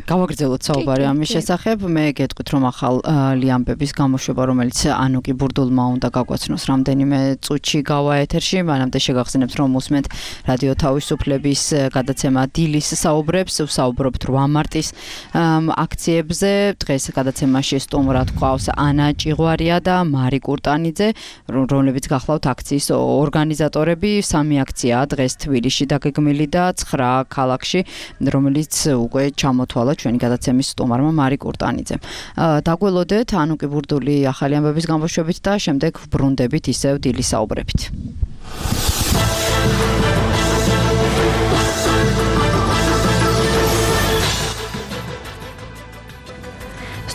გავაგრძელოთ საუბარი ამის შესახებ. მე გეტყვით რომ ახალი ამბების გამოშვება, რომელიც ანუკი ბურდულმა უნდა გაგვაცნოს რამდენიმე წუთში გავა ეთერში, მანამდე შეგახსენებთ რომ უსმენთ რადიო თავისუფლების გადაცემა დილის საუბრებს, ვსაუბრობთ 8 მარტის აქციებზე. დღეს გადაცემაში სტუმრად გვყავს ანა ჭიღვარია და მარი კურტანიძე, რომლებიც გახლავთ აქციის ორგანიზატორები. 3 აქციაა დღეს თბილისში დაგეგმილი და 9 ქალაქში, რომელიც უკვე ჩამოთვალა ჩვენი გადაცემის სტუმარმა მარი კურტანიძემ. დაგველოდეთ ანუკი ბურდული ახალი ამბების გამოშვებით და შემდეგ ვბრუნდებით ისევ დილის საუბრებით.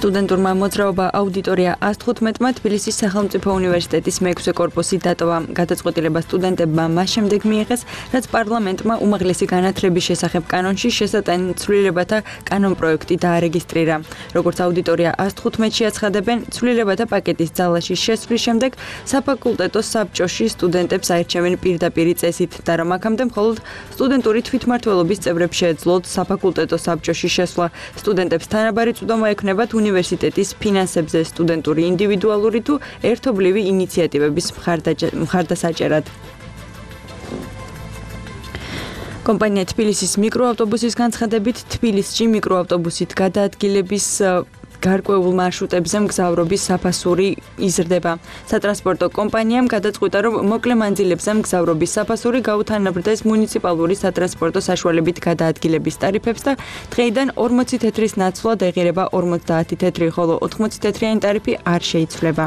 სტუდენტურმა მოძრაობა აუდიტორია 115-მა თბილისის სახელმწიფო უნივერსიტეტის მე-6 კორპუსი დატოვა. გადაწყვეტილება სტუდენტებმა მას შემდეგ მიიღეს, რაც პარლამენტმა უმაღლესი განათლების შესახებ კანონში შესატანი ცვლილებათა კანონპროექტი დაარეგისტრირა. როგორც აუდიტორია 115-ში აცხადებენ, ცვლილებათა პაკეტის ძალაში შესვლის შემდეგ საფაკულტეტო საბჭოში სტუდენტებს აირჩევენ პირდაპირი წესით და რომ აქამდე მხოლოდ სტუდენტური თვითმმართველობის წევრებს შეეძლოთ საფაკულტეტო საბჭოში შესვლა. სტუდენტებს თანაბარი წვდომა ექნებათ უნივერსიტეტის ფინანსებზე სტუდენტური ინდივიდუალური თუ ერთობლივი ინიციატივების მხარდასაჭერად. კომპანია თბილისის მიკროავტობუსის განცხადებით, თბილისში მიკროავტობუსით გადაადგილების გარკვეულ მარშრუტებზე მგზავრობის საფასური იზრდება. სატრანსპორტო კომპანიამ გადაწყვიტა, რომ მოკლე მანძილებზე მგზავრობის საფასური გაუთანაბრდეს მუნიციპალური სატრანსპორტო საშუალებით გადაადგილების ტარიფებს და დღეიდან 40 თეთრის ნაცვლად ეღირება 50 თეთრი, ხოლო 80 თეთრიანი ტარიფი არ შეიცვლება.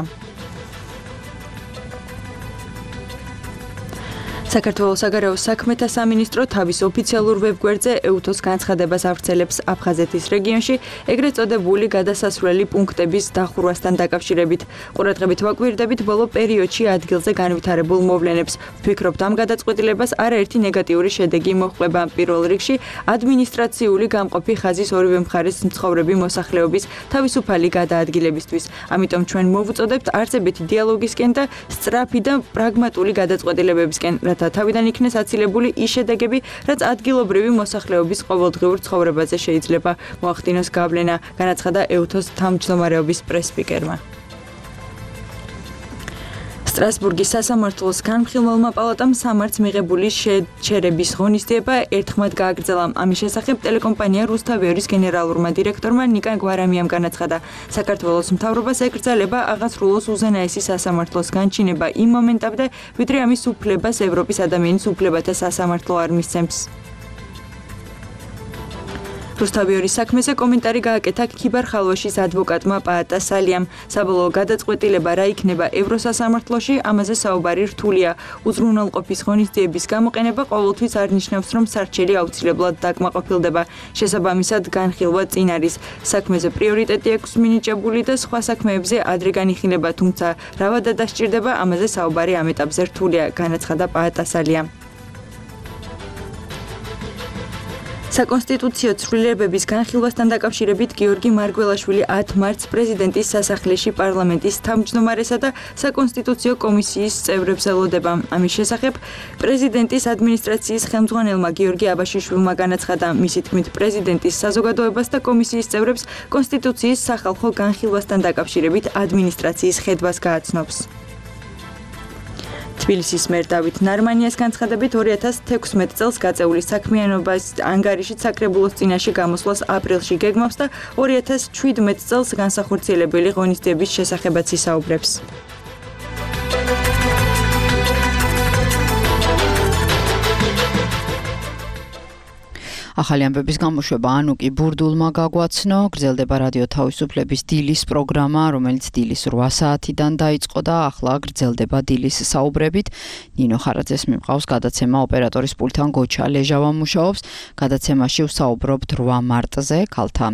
საქართველოს საგარეო საქმეთა სამინისტრო თავის ოფიციალურ ვებგვერდზე ეუთოს განცხადებას ავრცელებს აფხაზეთის რეგიონში ეგრეთ წოდებული გადასასვლელი პუნქტების დახურვასთან დაკავშირებით. ყურადღებით ვაკვირდებით ბოლო პერიოდში ადგილზე განვითარებულ მოვლენებს. ვფიქრობთ, ამ გადაწყვეტილებას არაერთი ნეგატიური შედეგი მოჰყვება. პირველ რიგში ადმინისტრაციული გამყოფი ხაზის ორივე მხარეს მცხოვრები მოსახლეობის თავისუფალი გადაადგილებისთვის. ამიტომ ჩვენ მოვუწოდებთ არწებითი დიალოგისკენ და სწრაფი და პრაგმატული გადაწყვეტილებებისკენ, რათა თავიდან იქნეს აცილებული ის შედეგები, რაც ადგილობრივი მოსახლეობის ყოველდღიურ ცხოვრებაზე შეიძლება მოახდინოს გავლენა, განაცხადა ეუთოს თავმჯდომარეობის პრესსპიკერმა. სტრასბურგის სასამართლოს განხილველმა პალატამ სამართს მიღებული შეჩერების ღონისძიება ერთხმად გააგრძელა. ამის შესახებ ტელეკომპანია რუსთავიორის გენერალურმა დირექტორმა ნიკა გვარამიამ განაცხადა, საქართველოს მთავრობას ეკრძალება აღასრულოს უზენაესი სასამართლოს განჩინება იმ მომენტამდე, ვიდრე ამის უფლებას ევროპის ადამიანის უფლებათა სასამართლო არ მისცემს. რუსთავიორის საქმეზე კომენტარი გააკეთა ქიბარ-ხალვაშის ადვოკატმა პაატა სალიამ. საბოლოო გადაწყვეტილება რა იქნება ევროსასამართლოში, ამაზე საუბარი რთულია. უზრუნველყოფის ღონისძიების გამოყენება ყოველთვის არ ნიშნავს, რომ სარჩელი აუცილებლად დაკმაყოფილდება. შესაბამისად, განხილვა წინ არის. საქმეზე პრიორიტეტი აქვს მინიჭებული და სხვა საქმეებზე ადრე განიხილება, თუმცა რა ვადა დასჭირდება, ამაზე საუბარი ამ ეტაპზე რთულია, განაცხადა პაატა სალიამ. საკონსტიტუციო ცვლილებების განხილვასთან დაკავშირებით გიორგი მარგველაშვილი 10 მარტს პრეზიდენტის სასახლეში პარლამენტის თავმჯდომარესა და საკონსტიტუციო კომისიის წევრებს ელოდება. ამის შესახებ პრეზიდენტის ადმინისტრაციის ხელმძღვანელმა გიორგი აბაშიშვილმა განაცხადა, მისი თქმით პრეზიდენტის საზოგადოებას და კომისიის წევრებს კონსტიტუციის სახალხო განხილვასთან დაკავშირებით ადმინისტრაციის ხედვას გააცნობს. თბილისის მერ დავით ნარმანიას განცხადებით 2016 წელს გაწეული საქმიანობის ანგარიშით საკრებულოს წინაშე გამოსვლას აპრილში გეგმავს და 2017 წელს განსახორციელებელი ღონისძიების შესახებაც ისაუბრებს. ახალი ამბების გამოშვება ანუკი ბურდულმა გაგვაცნო. გრძელდება რადიო თავისუფლების დილის პროგრამა, რომელიც დილის 8 საათიდან დაიწყო და ახლა გრძელდება დილის საუბრებით. ნინო ხარაძეს მიმყავს გადაცემა ოპერატორის პულტთან გოჩა ლეჟავა მუშაობს. გადაცემაში ვსაუბრობთ 8 მარტზე, ქალთა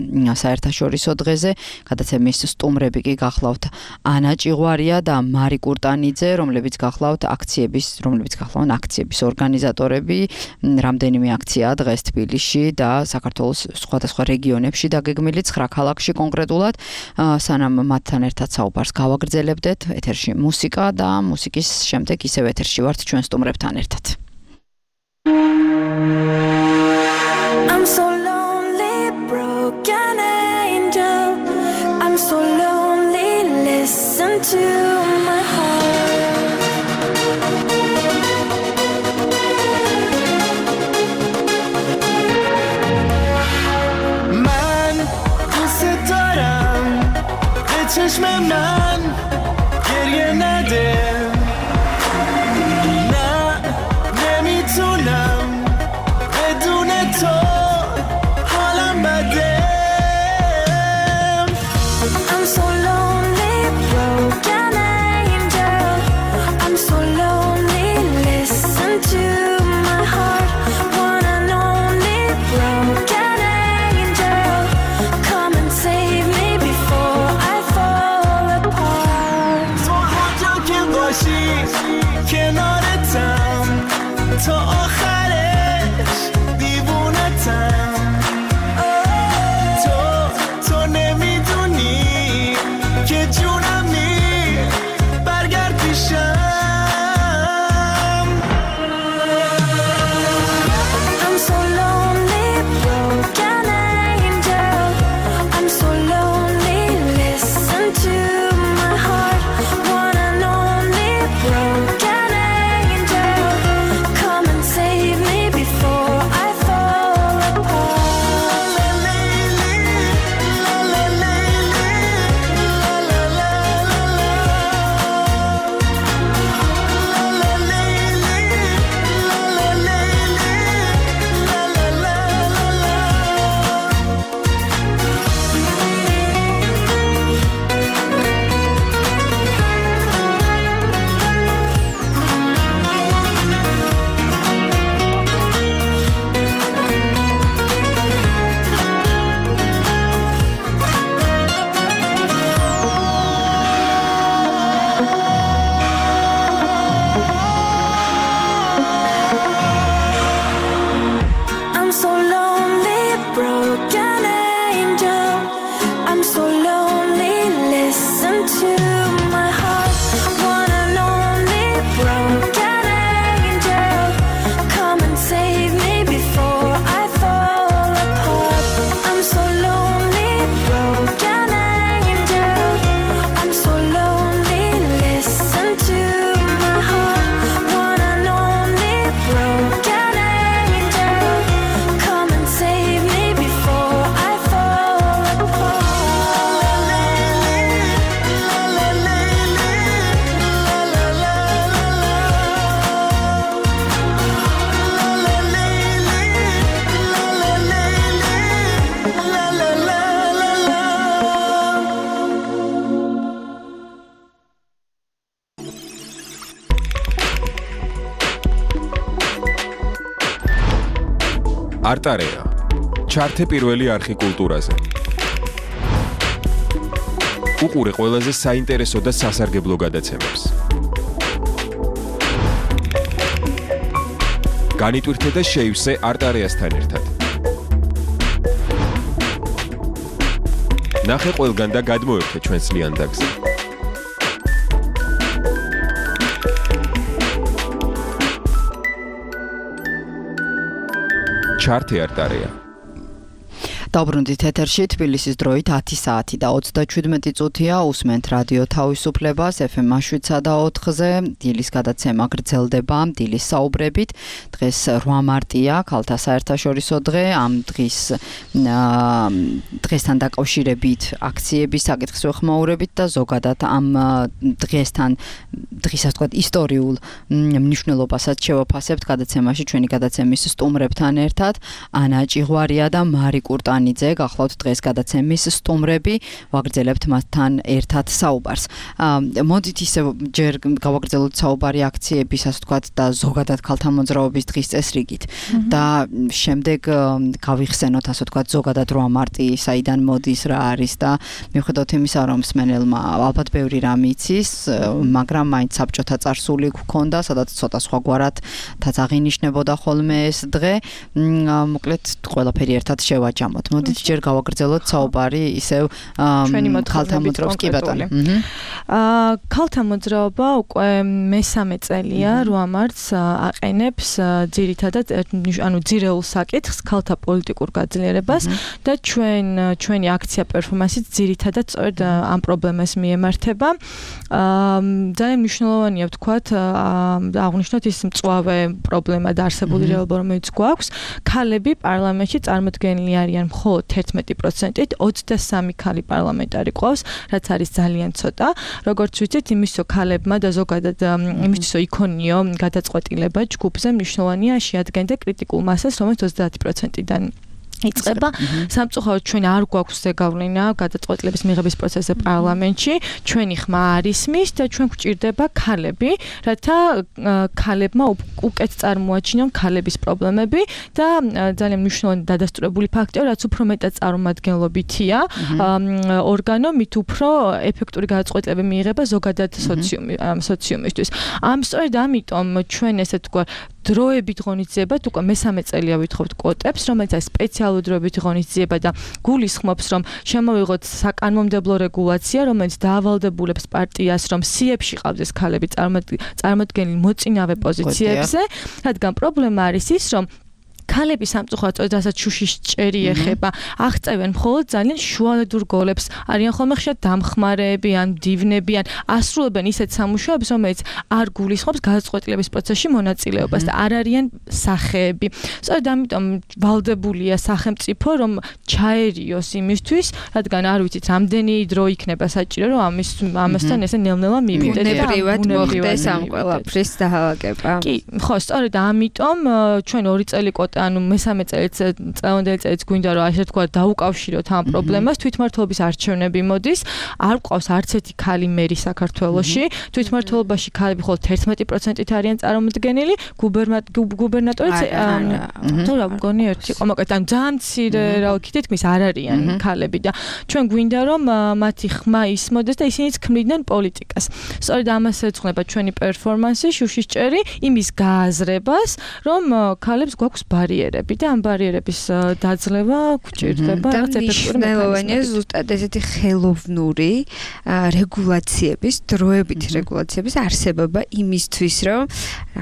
საერთაშორისო დღეზე. გადაცემის სტუმრები კი გახლავთ ანა ჭიღვარია და მარი კურტანიძე, რომლებიც გახლავთ აქციების ორგანიზატორები. რამდენიმე აქციაა დღეს თბილისში და საქართველოს სხვადასხვა რეგიონებში დაგეგმილი 9 ქალაქში კონკრეტულად. სანამ მათთან ერთად საუბარს გავაგრძელებდეთ, ეთერში მუსიკა და მუსიკის შემდეგ ისევ ეთერში ვართ ჩვენ სტუმრებთან ერთად. I'm so lonely, broken angel. I'm so lonely, listen to my heart. چشم من گریه نده نه نمیتونم بدون تو حالم بده I'm so lonely broken angel I'm so lonely listen to my heart one and only broken angel come and save me before არტარეა. ჩართე პირველი არხი კულტურაზე. უყურე ყველაზე საინტერესო და სასარგებლო გადაცემებს. განიტვირთე და შეივსე არტარეასთან ერთად. ნახე ყველგან და გადმოერთე ჩვენს ლიანდაგზე. ჩართე არტარეა. დაბრუნდით ეთერში თბილისის დროით 10 საათი და 37 წუთია უსმენთ რადიო თავისუფლებას FM 7/4-ზე დილის გადაცემა გრძელდება დილის საუბრებით დღეს 8 მარტია ქალთა საერთაშორისო დღე ამ დღესთან დაკავშირებით აქციების საკითხის ვეხმაურებით და ზოგადად ამ დღესთან დღის ასე ვთქვათ ისტორიულ მნიშვნელობასაც შევაფასებთ გადაცემაში ჩვენი გადაცემის სტუმრებთან ერთად ანა ჭიღვარია და მარი კურტანი გახლავთ დღეს გადაცემის სტუმრები ვაგრძელებთ მასთან ერთად საუბარს. მოდით ისე ჯერ გავაგრძელოთ საუბარი აქციების ასე ვთქვათ და ზოგადად ქალთა მოძრაობის დღის წესრიგით და შემდეგ გავიხსენოთ ასე ვთქვათ ზოგადად 8 მარტი საიდან მოდის რა არის და მიუხედავად იმისა რომ მსმენელმა ალბათ ბევრი რამ იცის მაგრამ მაინც საბჭოთა წარსული გქონდა სადაც ცოტა სხვაგვარად თაც აღინიშნებოდა ხოლმე ეს დღე მოკლედ ყველაფერი ერთად შევაჯამოთ. მოდით ჯერ გავაგრძელოთ საუბარი ისევ ქალთა მოძრაობის კი ბატონო. ქალთა მოძრაობა უკვე მესამე წელია 8 მარტს აყენებს ძირითადად ძირეულ საკითხს ქალთა პოლიტიკურ გაძლიერებას და ჩვენი აქცია პერფორმანსიც ძირითადად სწორედ ამ პრობლემას მიემართება. ძალიან მნიშვნელოვანია ვთქვათ აღვნიშნოთ ის მწვავე პრობლემა და არსებული რეალობა რომელიც გვაქვს ქალები პარლამენტში წარმოდგენილი არიან მხოლოდ 11%-ით 23 ქალი პარლამენტარი ყავს, რაც არის ძალიან ცოტა. როგორც ვიცით, იმისო ქალებმა და ზოგადად იმისო იქონიო გადაწყვეტილება ჯგუფზე მნიშვნელოვანია შეადგენდა კრიტიკულ მასას, რომელიც 30%-დან იწყება. სამწუხაროდ ჩვენ არ გვაქვს ზეგავლენა გადაწყვეტილების მიღების პროცესზე პარლამენტში. ჩვენი ხმა არ ისმის და ჩვენ გვჭირდება ქალები, რათა ქალებმა უკეთ წარმოაჩინონ ქალების პრობლემები და ძალიან მნიშვნელოვანი დადასტურებული ფაქტია, რაც უფრო მეტად წარმომადგენლობითია ორგანო, მით უფრო ეფექტური გადაწყვეტილებები მიიღება ზოგადად სოციუმისთვის. სწორედ ამიტომ ჩვენ ესე თქვა დროებით ღონისძიებად უკვე მესამე წელია ვითხოვთ კვოტებს, რომელიც არის სპეციალური დროებით ღონისძიება და გულისხმობს, რომ შემოვიღოთ საკანონმდებლო რეგულაცია, რომელიც დაავალდებულებს პარტიას, რომ სიებში ყავდეს ქალები წარმოდგენილ მოწინავე პოზიციებზე, რადგან პრობლემა არის ის, რომ ქალები სამწუხაროდ რასაც შუშის ჭერი ეხება, აღწევენ მხოლოდ ძალიან შუალედურ გოლებს, არიან ხოლმე ხშირად დამხმარეები ან დივნები ან ასრულებენ ისეთ სამუშაოებს, რომელიც არ გულისხმობს გადაწყვეტილების პროცესში მონაწილეობას და არ არიან სახეები. სწორედ ამიტომ ვალდებულია სახელმწიფო, რომ ჩაერიოს იმისთვის, რადგან არ ვიცით, რამდენი დრო იქნება საჭირო, რომ ამასთან ესე ნელ-ნელა მივიდეთ და ბუნებრივად მოხდეს ამ ყველაფრის დაალაგება. კი, ხო, სწორედ ამიტომ ჩვენ 2 წელი ანუ მესამე წელიწადელი წელიც გვინდა რომ ასე თქვა დაუკავშიროთ ამ პრობლემას თვითმმართველობის არჩევნები მოდის არ ყავს არც ერთი ქალი მერი საქართველოში თვითმმართველობაში ქალები მხოლოდ 11%-ით არიან წარმოდგენილი გუბერნატორიც თუ რა მგონი ერთი ყომაკეთ ან ძალიან მცირე რა თითქმის არ არიან ქალები და ჩვენ გვინდა რომ მათი ხმა ისმოდეს და ისინიც ქმნიდნენ პოლიტიკას სწორედ ამას ეძღვნება ჩვენი პერფორმანსი შუშის ჭერი იმის გააზრებას რომ ქალებს გვაქვს ბარიერები და ამ ბარიერების დაძლევა გვჭირდება რაღაც ეფექტური მექანიზმი. ზუსტად ესეთი ხელოვნური რეგულაციების, დროებითი რეგულაციების არსებობა იმისთვის, რომ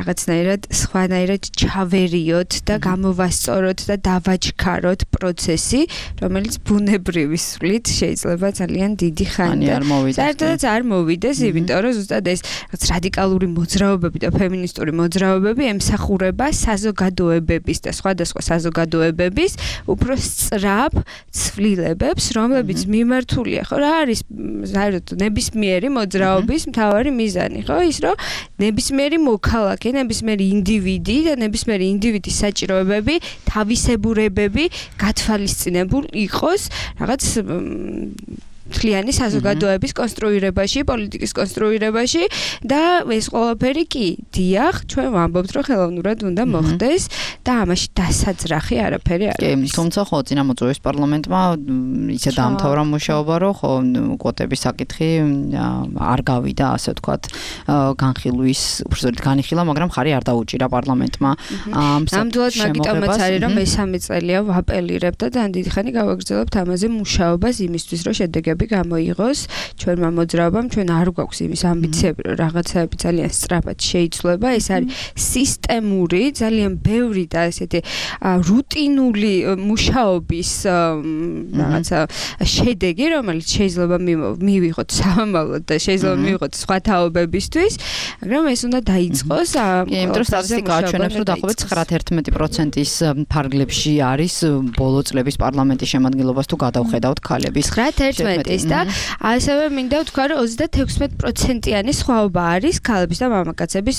რაღაცნაირად სხვანაირად ჩავერიოთ და გამოვასწოროთ და დავაჩქაროთ პროცესი, რომელიც ბუნებრივი სვლით შეიძლება ძალიან დიდი ხანი და საერთოდაც არ მოვიდეს, იმიტომ რომ ზუსტად ეს რაღაც რადიკალური მოძრაობები და ფემინისტური მოძრაობები ემსახურება საზოგადოებების და სხვადასხვა საზოგადოებების უფრო სწრაფ ცვლილებებს, რომლებიც მიმართულია, ხო, რა არის საერთოდ ნებისმიერი მოძრაობის მთავარი მიზანი, ხო, ის რომ ნებისმიერი მოქალაქე, ნებისმიერი ინდივიდი და ნებისმიერი ინდივიდის საჭიროებები, თავისებურებები გათვალისწინებულ იყოს რაღაც მთლიანი საზოგადოების კონსტრუირებაში, პოლიტიკის კონსტრუირებაში და ეს ყველაფერი კი დიახ, ჩვენ ვამბობთ, რომ ხელოვნურად უნდა მოხდეს და ამაში დასაძრახი არაფერი არ არის. თუმცა ხო წინამოწვევის პარლამენტმა ისე დაამთავრა მუშაობა, რომ ხო კვოტების საკითხი არ გავიდა, ასე ვთქვათ, განხილვის, უბრალოდ განიხილა, მაგრამ ხარი არ დაუჭირა პარლამენტმა. ნამდვილად მაგიტომაც არის, რომ მესამე წელია ვაპელირებ და ძალიან დიდი ხანი გავაგრძელებთ ამაზე მუშაობას იმისთვის, რომ შედეგები გამოიღოს ჩვენმა მოძრაობამ, ჩვენ არ გვაქვს იმის ამბიციები, რომ რაღაცაები ძალიან სწრაფად შეიცვლება, ეს არის სისტემური, ძალიან ბევრი და ესეთი რუტინული მუშაობის რაღაცა შედეგი, რომელიც შეიძლება მივიღოთ სამომავლოდ და შეიძლება მივიღოთ სხვა თაობებისთვის, მაგრამ ეს უნდა დაიწყოს. იმიტომ რომ სტატისტიკა აჩვენებს, რომ დაახლოებით 9-11%-ის ფარგლებში არის ბოლო წლების პარლამენტის შემადგენლობას თუ გადავხედავთ ქალების 9-11-ის და ასევე მინდა ვთქვა, რომ 36%-იანი სხვაობა არის ქალების და მამაკაცების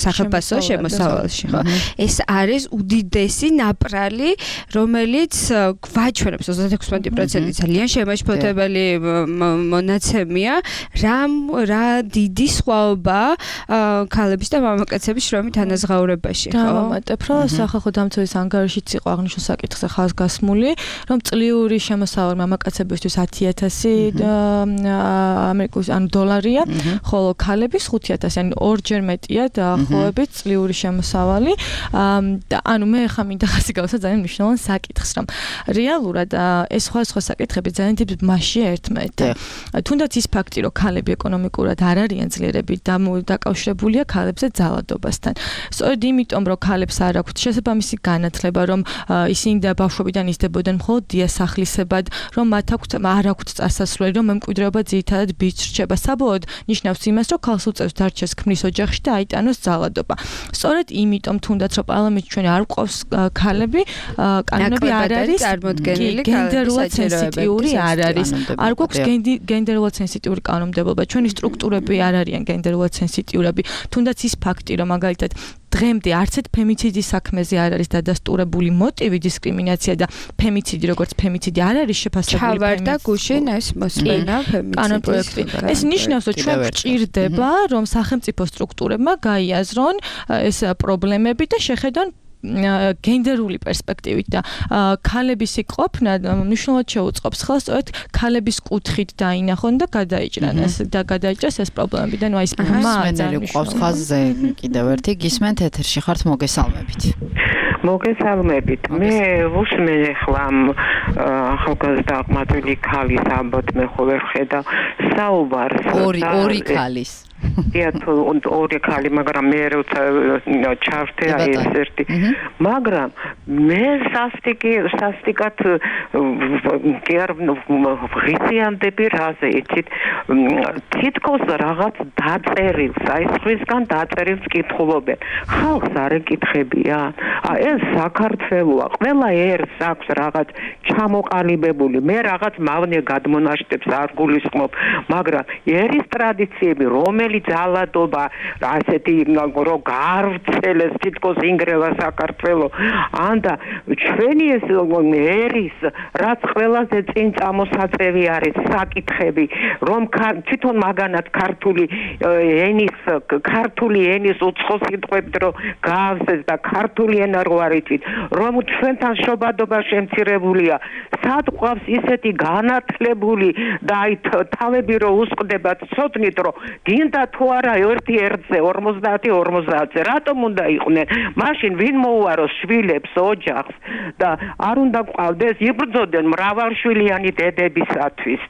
სახელმწიფო შემოსავალში, ხო? ეს არის უდიდესი ნაპრალი, რომელიც გვაჩვენებს 36% ძალიან შემაშფოთებელი მონაცემია, რა დიდი სხვაობა ქალების და მამაკაცების შრომით ანაზღაურებაში, ხო? დავამატებ, რომ სახალხო დამცველის ანგარიშიც იყო აღნიშნულ საკითხზე ხაზგასმული, რომ წლიური შემოსავალი მამაკაცებისთვის 10,000 ამერიკული დოლარია, ხოლო ქალების 5,000, ანუ ორჯერ მეტია დაახლოებით წლიური შემოსავალი. და ანუ მე ხა მინდა ხაზი გავუსვა ძალიან მნიშვნელოვან საკითხს, რომ რეალურად ეს სხვა საკითხები ძალიან დიდ მასშია ერთმანეთთან. თუნდაც ის ფაქტი, რომ ქალები ეკონომიკურად არ არიან ძლიერები დაკავშირებულია ქალებზე ძალადობასთან. სწორედ იმიტომ, რომ ქალებს არ აქვთ შესაბამისი განათლება, რომ ისინი და ბავშვობიდან იზრდებოდნენ მხოლოდ დიასახლისებად, რომ მათ არ აქვთ წასასვლელი, რომ მემკვიდრეობა ძირითადად ბიჭს რჩება. საბოლოოდ ნიშნავს იმას, რომ ქალს უწევს დარჩეს ქმრის ოჯახში და აიტანოს ძალადობა. სწორედ იმიტომ თუნდაც რომ პარლამენტში ჩვენ არ გვყავს ქალები, კანონები არ არის წარმოდგენილი გენდერულად სენსიტიური არ არის. არ გვაქვს გენდერულად სენსიტიური კანონმდებლობა. ჩვენი სტრუქტურები არ არიან გენდერულად სენსიტიურები. თუნდაც ის ფაქტი, რომ მაგალითად დღემდე არც ერთ ფემიციდის საქმეზე არ არის დადასტურებული მოტივი დისკრიმინაცია და ფემიციდი როგორც ფემიციდი არ არის შეფასებული. ჩავარდა გუშინ ეს მოსმენა ფემიციდის. ეს ნიშნავს, რომ ჩვენ გვჭირდება, რომ სახელმწიფო სტრუქტურებმა გაიაზრონ ეს პრობლემები და შეხედონ გენდერული პერსპექტივით და ქალების ყოფნა მნიშვნელოვნად შეუწყობს ხელს სწორედ ქალების კუთხით დაინახონ და გადაიჭრას ეს პრობლემები და ნუ აი ეს მსმენელი გვყავს ხაზზე კიდევ ერთი გისმენთ ეთერში ხართ მოგესალმებით. მოგესალმებით. მე ვუსმენ ახლა ახალგაზრდა აღმატული ქალის ამბოთ მე ხოლმე ვხედავ საუბარს ორი ქალის ორი ქალი, მაგრამ მე როცა ჩავშთე აი ეს ერთი, მაგრამ მე სასტიკად კი არ ღიზიანდები რაზე იცით, თითქოს რაღაც დაწერილს, აი სხვისგან დაწერილს კითხულობენ. ხალხს არ ეკითხებიან. ეს საქართველოა, ყველა ერს აქვს რაღაც ჩამოყალიბებული. მე რაღაც მავნე გადმონაშტებს არ გულისხმობ, მაგრამ ერის ტრადიციები რომელიც ძალადობა ასეთი რომ გავრცელეს თითქოს ინგრევა საქართველოს ანდა ჩვენი ეს ერის რაც ყველაზე წინ წამოსაწევი არის საკითხები რომ თვითონ მაგანაც ქართული ენის უცხო სიტყვებით რომ გაავსეს და ქართული ენა რო არ იცით რომ ჩვენთან შობადობა შემცირებულია სად ყავს ისეთი განათლებული და აი თავები რო უსყდებათ ცოდნით რომ გინდა თუ არა ერთი ერთზე 50-50-ზე რატომ უნდა იყვნენ მაშინ ვინ მოუაროს შვილებს ოჯახს და არ უნდა ყავდეს იბრძოდნენ მრავალშვილიანი დედებისათვის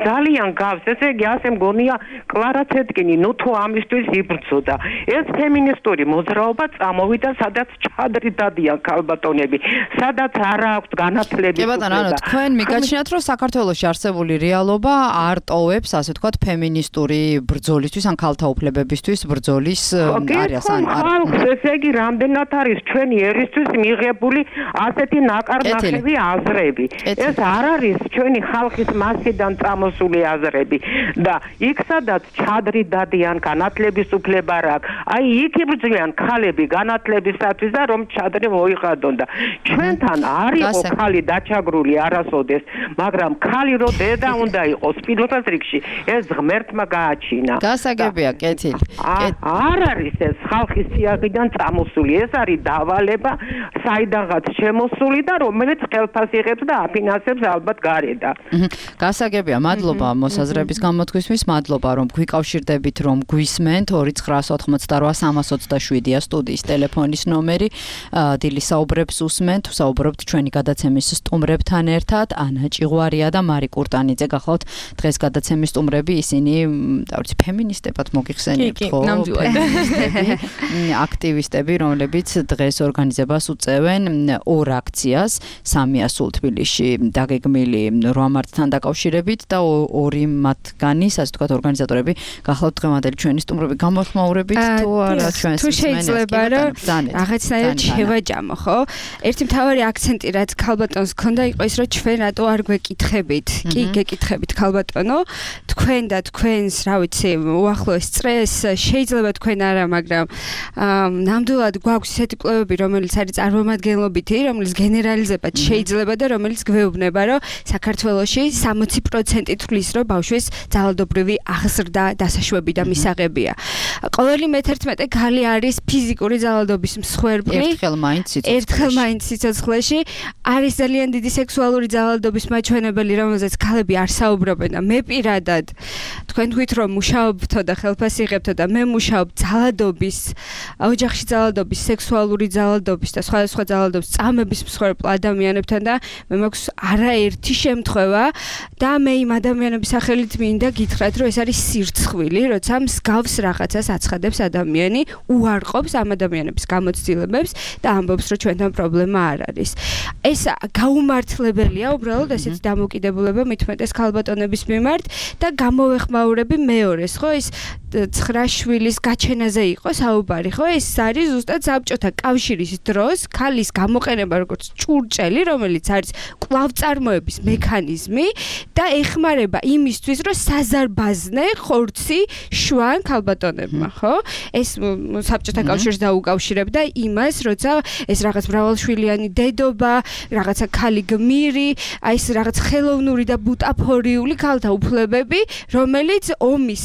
ძალიან გავს ესე იგი ასე მგონია კლარა ცეტკინი ნუ თუ ამისთვის იბრძოდა ეს ფემინისტური მოძრაობა წამოვიდა სადაც ჩადრი დადიან ქალბატონები სადაც არ აქვს განათლების კი ბატონო ანუ თქვენ მიგაჩნიათ რომ საქართველოში არსებული რეალობა არ ტოვებს ასე ვთქვათ ფემინისტური ბრძოლა ბრძოლისთვის ან ქალთა უფლებებისთვის ბრძოლის არის ან ხალხს ესე იგი რამდენად არის ჩვენი ერისთვის მიღებული ასეთი ნაკარნახევი აზრები ეს არ არის ჩვენი ხალხის მასიდან წამოსული აზრები და იქ სადაც ჩადრი დადიან განათლების უფლება რა აი იქ იბრძვიან ქალები განათლებისათვის და რომ ჩადრი მოიხადონ და ჩვენთან არ იყო ქალი დაჩაგრული არასოდეს მაგრამ ქალი რო დედა უნდა იყოს პირველ რიგში ეს ღმერთმა გააჩინა გასაგებია კეთილი არ არის ეს ხალხის სიაღიდან წამოსული ეს არის დავალება საიდანღაც შემოსული და რომელიც ხელფას იღებს და აფინანსებს ალბათ გარედა გასაგებია მადლობა მოსაზრების გამოთქვისთვის მადლობა რომ გვიკავშირდებით რომ გვისმენთ 2988327-ია სტუდიის ტელეფონის ნომერი დილის საუბრებს უსმენთ საუბრობთ ჩვენი გადაცემის სტუმრებთან ერთად ანა ჭიღვარია და მარი კურტანიძე გახლავთ დღეს გადაცემის სტუმრები ისინი დავიცი ფემინისტებად მოგიხსენებთ ხო აქტივისტები რომლებიც დღეს ორგანიზებას უწევენ ორ აქციას 300 სულ თბილისში დაგეგმილი 8 მარტთან დაკავშირებით და ორი მათგანი ასე ვთქვათ ორგანიზატორები გახლავთ დღევანდელი ჩვენი სტუმრები გამოხმაურებით თუ არა ჩვენს თუ შეიძლება რომ რაღაცნაირად შევაჯამო ხო ერთი მთავარი აქცენტი რაც ქალბატონს ჰქონდა იყო ის რომ ჩვენ რატო არ გვეკითხებით კი გეკითხებით ქალბატონო თქვენ და თქვენს რა ვიცი უახლოეს წრეს შეიძლება თქვენ არა მაგრამ ნამდვილად გვაქვს ესეთი კვლევები რომელიც არის წარმომადგენლობითი რომელიც გენერალიზებად შეიძლება და რომელიც გვეუბნება რომ საქართველოში 60% თვლის რომ ბავშვის ძალადობრივი აღზრდა დასაშვები და მისაღებია ყოველი მე-11 ქალი არის ფიზიკური ძალადობის მსხვერპლი ერთხელ მაინც სიცოცხლეში არის ძალიან დიდი სექსუალური ძალადობის მაჩვენებელი რომელზეც ქალები არ საუბრობენ და მე პირადად თქვენ თქვით რომ მუშაობთო და ხელფას იღებთო და მე მუშაობ ძალადობის ოჯახში ძალადობის სექსუალური ძალადობის და სხვადასხვა ძალადობის წამების მსხვერპლ ადამიანებთან და მე მაქვს არაერთი შემთხვევა და მე იმ ადამიანების სახელით მინდა გითხრათ რომ ეს არის სირცხვილი როცა მსგავს რაღაცას აცხადებს ადამიანი უარყოფს ამ ადამიანების გამოცდილებებს და ამბობს რომ ჩვენთან პრობლემა არ არის ეს გაუმართლებელია უბრალოდ ესეთი დამოკიდებულება მithumetes ქალბატონების მიმართ და გამოვეხმაურები მეორეს ხო ეს 9 შვილის გაჩენაზე იყო საუბარი ხო ეს არის ზუსტად საბჭოთა კავშირის დროს ქალის გამოყენება როგორც ჭურჭელი რომელიც არის კვლავწარმოების მექანიზმი და ეხმარება იმისთვის რომ საზარბაზნე ხორცი შვან ქალბატონებმა ხო ეს საბჭოთა კავშირს დაუკავშირებდა იმას როცა ეს რაღაც მრავალშვილიანი დედობა რაღაცა ქალი გმირი აი ეს რაღაც ხელოვნური და ბუტაფორიული ქალთა უფლებები რომელიც ომის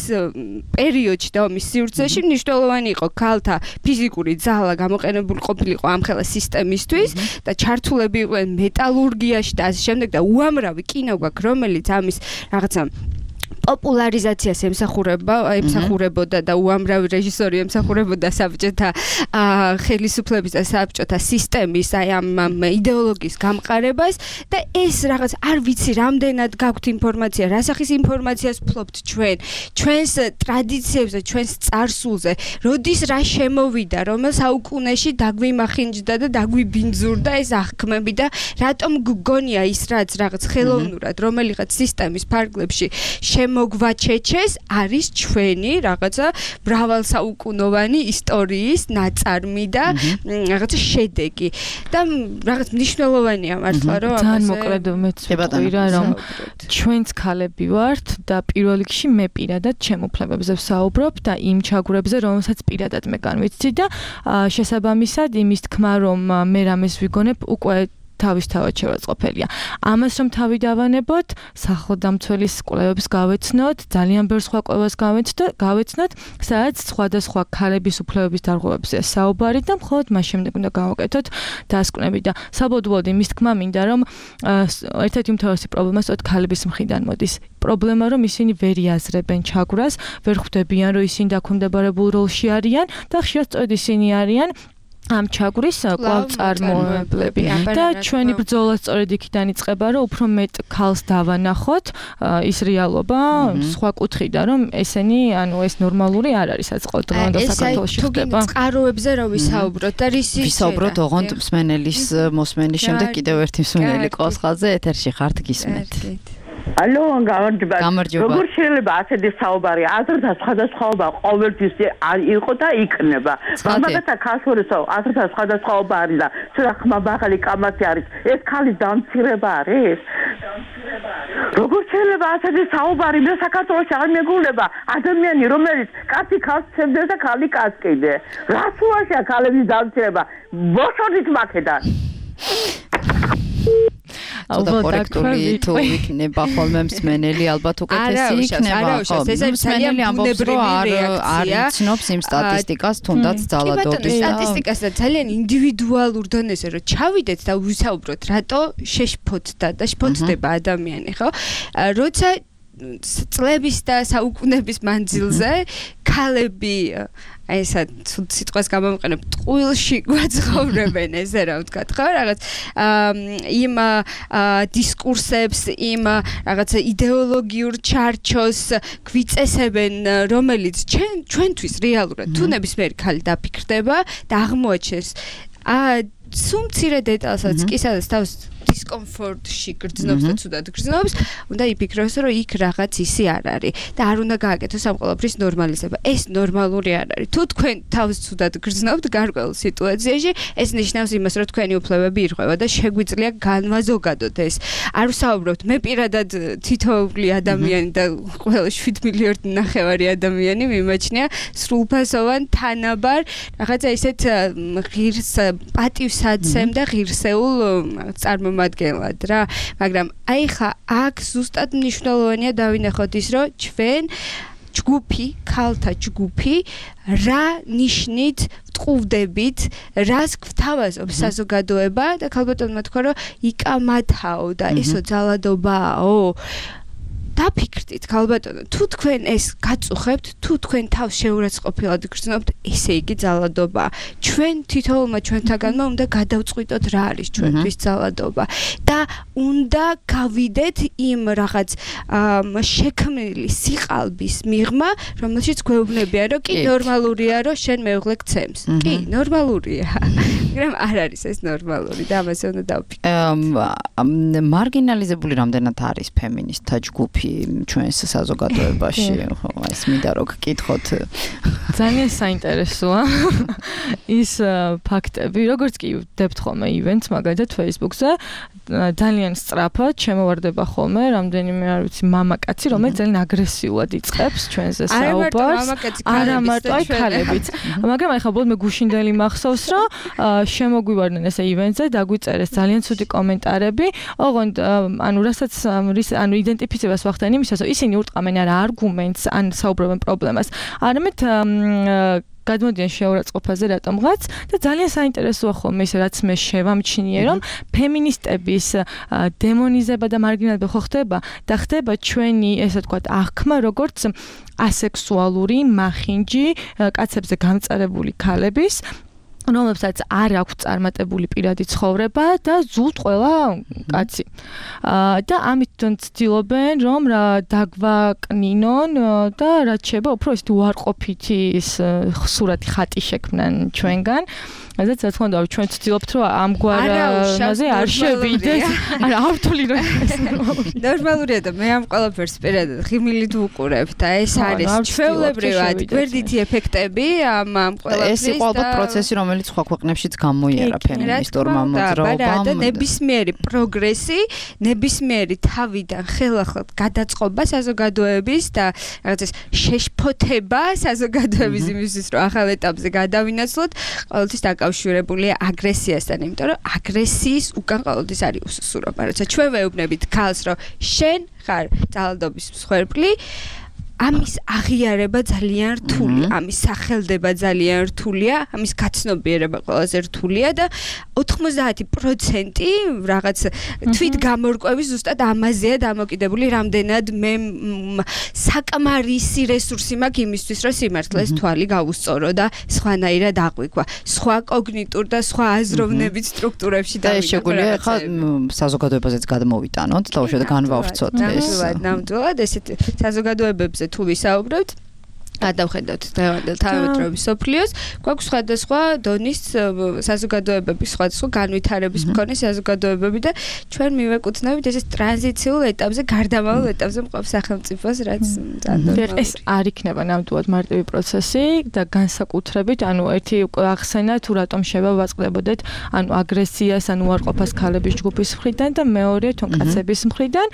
პერიოდში და ომის სივრცეში მნიშვნელოვანი იყო ქალთა ფიზიკური ძალა გამოყენებული ყოფილიყო ამ ხელა სისტემისთვის და ჩართულები იყვნენ მეტალურგიაში და ასე შემდეგ და უამრავი კინო გვაქვს რომელიც ამის რაღაცა პოპულარიზაციას ემსახურებოდა და უამრავი რეჟისორი ემსახურებოდა საბჭოთა ხელისუფლების და საბჭოთა სისტემის აი ამ იდეოლოგიის გამყარებას და ეს რაღაც არ ვიცი რამდენად გაქვთ ინფორმაცია რა სახის ინფორმაციას ფლობთ ჩვენს ტრადიციებზე ჩვენს წარსულზე როდის რა შემოვიდა რომელ საუკუნეში დაგვიმახინჯდა და დაგვიბინძურდა ეს აღქმები და რატომ გგონია ის რაც რაღაც ხელოვნურად რომელიღაც სისტემის ფარგლებში შემოგვაჩეჩეს არის ჩვენი რაღაცა მრავალსაუკუნოვანი ისტორიის ნაწარმი და რაღაცა შედეგი და რაღაც მნიშვნელოვანია მართლა რომ ძალიან მოკლედ მეც ვიტყვი რომ ჩვენც ქალები ვართ და პირველ რიგში მე პირადად ჩემ უფლებებზე ვსაუბრობ და იმ ჩაგვრებზე რომელსაც პირადად მე განვიცდი და შესაბამისად იმის თქმა რომ მე რამეს ვიგონებ უკვე თავისთავად შევაწყობელია. ამას რომ თავი დავანებოთ, სახელდამცველის კვლევებს გავეცნოთ, ძალიან ბევრ სხვა კვლევას გავეცნოთ, სადაც სხვადასხვა ქალების უფლებების დარღვევებზე საუბარი და მხოლოდ მას შემდეგ უნდა გავაკეთოთ დასკვნები და საბოლოოდ იმის თქმა მინდა რომ ერთ-ერთი უმთავრესი პრობლემა სწორედ ქალების მხრიდან მოდის. პრობლემა რომ ისინი ვერ იაზრებენ ჩაგვრას, ვერ ხვდებიან რომ ისინი დაქვემდებარებულ როლში არიან და ხშირად სწორედ ისინი არიან ამ ჩაგვრის კვლავწარმოებლები და ჩვენი ბრძოლა სწორედ იქიდან იწყება რომ უფრო მეტ ქალს დავანახოთ ის რეალობა სხვა კუთხიდან რომ ესენი ანუ ეს ნორმალური არ არის რაც ყოველდღიურად საქართველოში ხდება. ეს წყაროებზე რომ ვისაუბროთ და რისი ვისაუბროთ ოღონდ მსმენელის მოსმენის შემდეგ კიდევ ერთი მსმენელი ყავს ხაზზე ეთერში ხართ გისმენთ. ალო, როგორ შეიძლება ასეთი საუბარი აზრთა სხვადასხვაობა ყოველთვის იყო და იქნება. მაგათა ქალშორისო აზრთა სხვადასხვაობა არის და ცოტა ხმაბაღალი კამათი არის. ეს ქალის დამცირება არის? როგორ შეიძლება ასეთი საუბარი მე საქართველოში არ მეგულება ადამიანი რომელიც კაცი ქალს ცემდეს და ქალი კაცს კიდე. რას უაშია ქალების დამცირება? ბოშოდით მაქედან. ალბათ კორექტული თუ იქნება ხოლმე მსმენელი ალბათ უკეთესი იქნება ხო მსმენელი ამბობს რომ არ იცნობს იმ სტატისტიკას თუნდაც ძალადობის სტატისტიკას და ძალიან ინდივიდუალურ დონეზე რომ ჩავიდეთ და ვისაუბროთ რატო შეშფოთდა და შფოთდება ადამიანი ხო როცა წლების და საუკუნეების მანძილზე ქალები აი ესა სიტყვას გამომყენებ ტყუილში გვაცხოვრებენ ესე რა ვთქვათ ხო რაღაც იმ დისკურსებს იმ რაღაცა იდეოლოგიურ ჩარჩოს გვიწესებენ რომელიც ჩვენთვის რეალურად თუ ნებისმიერი ქალი დაფიქრდება და აღმოაჩენს სულ მცირე დეტალსაც კი სადაც თავს დისკომფორტში გრძნობს და ცუდად გრძნობს, უნდა იფიქროს, რომ იქ რაღაც ისი არ არის და არ უნდა გააკეთოს ამ ყველაფრის ნორმალიზება. ეს ნორმალური არ არის. თუ თქვენ თავს ცუდად გრძნობთ გარკვეულ სიტუაციაში, ეს ნიშნავს იმას, რომ თქვენი უფლებები ირღვევა და შეგვიძლია განვაზოგადოთ ეს. არ ვსაუბრობთ, მე პირადად თითოეული ადამიანი და ყველა 7 მილიარდი ნახევარი ადამიანი მიმაჩნია სრულფასოვან თანაბარ რაღაცა ისეთ ღირს პატივსაცემ და ღირსეულ წარმომადგენლად რა, მაგრამ აი ხა აქ ზუსტად მნიშვნელოვანია დავინახოთ ის, რომ ჩვენ ჯგუფი, ქალთა ჯგუფი რა ნიშნით ვტყუვდებით, რას გვთავაზობს საზოგადოება და ქალბატონმა თქვა, რომ იკამათაო და ესო ძალადობაო. დაფიქრდით ქალბატონო, თუ თქვენ ეს გაწუხებთ, თუ თქვენ თავს შეურაცხყოფილად გრძნობთ, ესე იგი ძალადობაა. ჩვენ თითოეულმა ჩვენთაგანმა უნდა გადავწყვიტოთ რა არის ჩვენთვის ძალადობა და უნდა გავიდეთ იმ რაღაც შექმნილი სიყალბის მიღმა, რომელშიც გვეუბნებიან, რომ კი ნორმალურია, რომ შენ მეუღლე გცემს. კი, ნორმალურია. მაგრამ არ არის ეს ნორმალური და ამაზე უნდა დავფიქროთ. მარგინალიზებული რამდენად არის ფემინისტთა ჯგუფი ჩვენს საზოგადოებაში, ხო, ეს მინდა რომ გკითხოთ. ძალიან საინტერესოა ის ფაქტები, როგორც კი ვდებთ ხოლმე ივენტს, მაგალითად Facebook-ზე, ძალიან სწრაფად შემოვარდება ხოლმე რამდენიმე არ ვიცი მამაკაცი, რომელიც ძალიან აგრესიულად იწყებს ჩვენზე საუბარს. არა მარტო აი ქალებიც. მაგრამ აი ხა ბოლოს მე გუშინდელი მახსოვს, რომ შემოგვივარდნენ ესე ივენტზე, დაგვიწერეს ძალიან ცუდი კომენტარები. ოღონდ ანუ რასაც ანუ იდენტიფიცირებას ვახდენ იმისას, რომ ისინი ურტყამენ არა არგუმენტს, ან საუბრობენ პრობლემას. არამედ გადმოდიან შეურაცხყოფაზე რატომღაც და ძალიან საინტერესოა ხოლმე ის რაც მე შევამჩნიე რომ ფემინისტების დემონიზება და მარგინალიზება ხო ხდება და ხდება ჩვენი ესე ვთქვათ აღქმა როგორც ასექსუალური მახინჯი კაცებზე გამწარებული ქალების რომლებსაც არ აქვს წარმატებული პირადი ცხოვრება და ზუსტ ყველა კაცი. და ამით ცდილობენ რომ დაგვაკნინონ და რაც შეიძლება უფრო ისეთი უარყოფითი სურათი ხატი შექმნან ჩვენგან. ასე რა თქმა უნდა ჩვენ ვცდილობთ რომ ამგვარაზე არ შევიდეს. არა ავთვლი რომ ნორმალურია და მე ამ ყველაფერს პირადად ღიმილით ვუყურებ და ეს არის ჩვეულებრივად გვერდითი ეფექტები ამ ყველაფრის ეს იყო ალბათ პროცესი რომელიც სხვა ქვეყნებშიც გამოიარა ფემინისტურმა მოძრაობამ და ნებისმიერი პროგრესი, ნებისმიერი თავიდან ხელახლა გადაწყობა საზოგადოების და რაღაც ეს შეშფოთება საზოგადოების იმისთვის რომ ახალ ეტაპზე გადავინაცვლოთ, ყოველთვის დაკავშირებულია აგრესიასთან, იმიტომ რომ აგრესიის უკან ყოველთვის არის უსუსურობა. როცა ჩვენ ვეუბნებით ქალს, რომ შენ ხარ ძალადობის მსხვერპლი, ამის აღიარება ძალიან რთულია, ამის სახელდება ძალიან რთულია, ამის გაცნობიერება ყველაზე რთულია და 90% რაღაც თვით გამორკვევის ზუსტად ამაზეა დამოკიდებული, რამდენად მე საკმარისი რესურსი მაქვს იმისთვის, რომ სიმართლეს თვალი გავუსწორო და სხვანაირად აღვიქვა. სხვა კოგნიტურ და სხვა აზროვნების სტრუქტურებში და ეს შეგვიძლია ხა საზოგადოებაზეც გადმოვიტანოთ და უშუალოდ განვავრცოთ ეს. ნამდვილად ესეთ საზოგადოებებზე თუ ვისაუბრებთ გადავხედავთ დღევანდელ თანამედროვე სოფლიოს, გვაქვს სხვადასხვა დონის საზოგადოებები, სხვადასხვა განვითარების მქონე საზოგადოებები და ჩვენ მივეკუთვნებით ეს ტრანზიციულ ეტაპზე, გარდამავალ ეტაპზე მყოფ სახელმწიფოს, რაც ეს არ იქნება ნამდვილად მარტივი პროცესი და განსაკუთრებით, ერთი უკვე ახსენა თუ რატომ შევავაწყდებოდეთ, აგრესიას, უარყოფას ქალების ჯგუფის მხრიდან და მეორე თუნ კაცების მხრიდან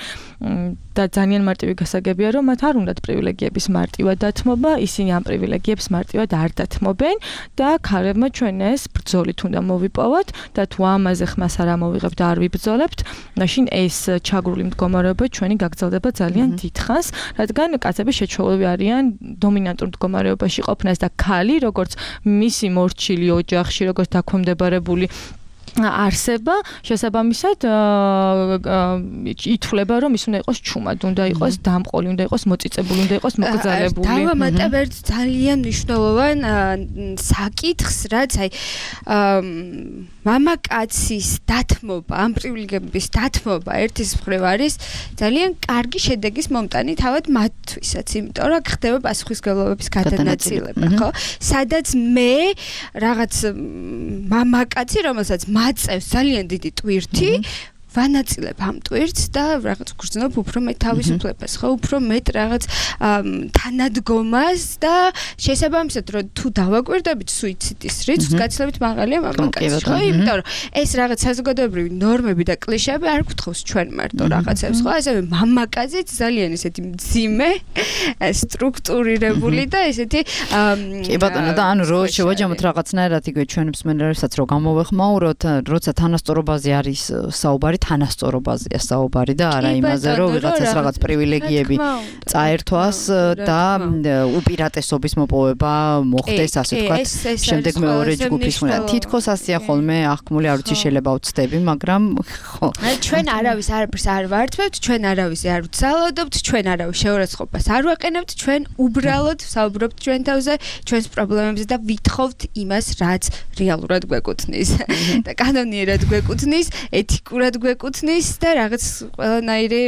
და ძალიან მარტივი გასაგებია, რომ მათ არ უნდათ პრივილეგიების მარტივად დათმობა, ისინი ამ პრივილეგიებს მარტივად არ დათმობენ და ქალებმა ჩვენ ეს ბრძოლით უნდა მოვიპოვოთ და თუ ამაზე ხმას არ ამოვიღებთ და არ ვიბრძოლებთ, მაშინ ეს ჩაგრული მდგომარეობა ჩვენი გაგრძელდება ძალიან დიდხანს, რადგან კაცები შეჩვეულები არიან დომინანტურ მდგომარეობაში ყოფნას და ქალი, როგორც მისი მორჩილი ოჯახში, როგორც დაქვემდებარებული არსება, შესაბამისად ითვლება, რომ ის უნდა იყოს ჩუმად, უნდა იყოს დამყოლი, უნდა იყოს მოწიწებული, უნდა იყოს მოკრძალებული. დავამატებ ერთ ძალიან მნიშვნელოვან საკითხს, რაც მამაკაცის დათმობა, ამ პრივილეგიების დათმობა ერთის მხრივ არის ძალიან კარგი შედეგის მომტანი თავად მათთვისაც, იმიტომ რომ ხდება პასუხისმგებლობების გადანაწილება, ხო? სადაც მე რაღაც მამაკაცი, რომელსაც მაწევს ძალიან დიდი ტვირთი, ვანაწილებ ამ ტვირთს და რაღაც გრძნობ უფრო მეტ თავისუფლებას, ხო, უფრო მეტ რაღაც თანადგომას და შესაბამისად რომ თუ დავაკვირდებით სუიციდის რიცხვს, გაცილებით მაღალია მამაკაცის, ხო, იმიტომ რომ ეს რაღაც საზოგადოებრივი ნორმები და კლიშეები არ გვთხოვს ჩვენ მარტო რაღაცებს, ხო, ასევე მამაკაციც ძალიან ესეთი მძიმე, სტრუქტურირებული და ესეთი კი ბატონო და ანუ რო შევაჯამოთ რაღაცნაირად იგივე ჩვენ მსმენელებსაც რომ გამოვეხმაუროთ, როცა თანასწორობაზე არის საუბარი თანასწორობაზეა საუბარი და არა იმაზე, რომ ვიღაცას რაღაც პრივილეგიები წაერთვას და უპირატესობის მოპოვება მოხდეს, ასე ვთქვათ, შემდეგ მეორე ჯგუფის მხრიდან. თითქოს ასეა ხოლმე აღქმული, არ ვიცი შეიძლება ვცდები, მაგრამ ხო. ჩვენ არავის არაფერს არ ვართმევთ, ჩვენ არავის არ ვცალოდობთ, ჩვენ არავის შეურაცხყოფას არ ვაყენებთ, ჩვენ უბრალოდ საუბრობთ ჩვენ თავზე, ჩვენს პრობლემებზე და ვითხოვთ იმას, რაც რეალურად გვეკუთვნის და კანონიერად გვეკუთვნის, ეთიკურად გვეკუთვნის და რაღაც ყველანაირი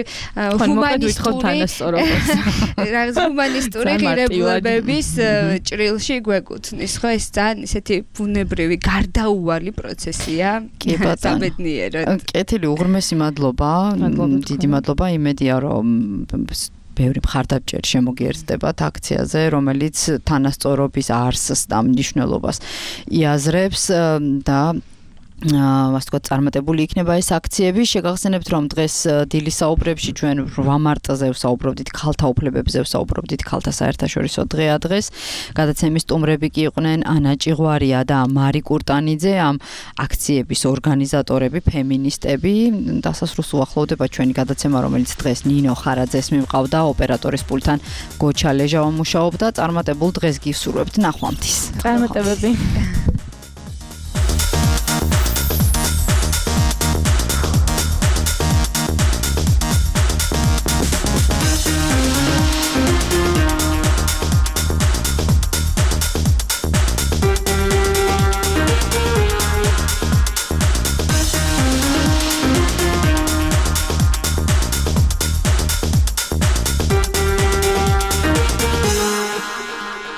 ჰუმანისტური ღირებულებების ჭრილში გვეკუთვნის, ხო, ეს ძალიან ისეთი ბუნებრივი გარდაუვალი პროცესია. კი ბატონო. კეთილი, უღრმესი მადლობა. დიდი მადლობა, იმედია რომ ბევრი მხარდამჭერი შემოგიერთდებათ აქციაზე, რომელიც თანასწორობის არსს და მნიშვნელობას იაზრებს და ასე ვთქვათ, წარმატებული იქნება ეს აქციები. შეგახსენებთ, რომ დღეს დილის საუბრებში ჩვენ 8 მარტზე ვსაუბრობდით ქალთა უფლებებზე, ვსაუბრობდით ქალთა საერთაშორისო დღეა დღეს. გადაცემის სტუმრები კი იყვნენ ანა ჭიღვარია და მარი კურტანიძე, ამ აქციების ორგანიზატორები, ფემინისტები. დასასრულს უახლოვდება ჩვენი გადაცემა, რომელიც დღეს ნინო ხარაძეს მიმყავდა, ოპერატორის პულტთან გოჩა ლეჟავა მუშაობდა. წარმატებულ დღეს გისურვებთ, ნახვამდის. წარმატებები.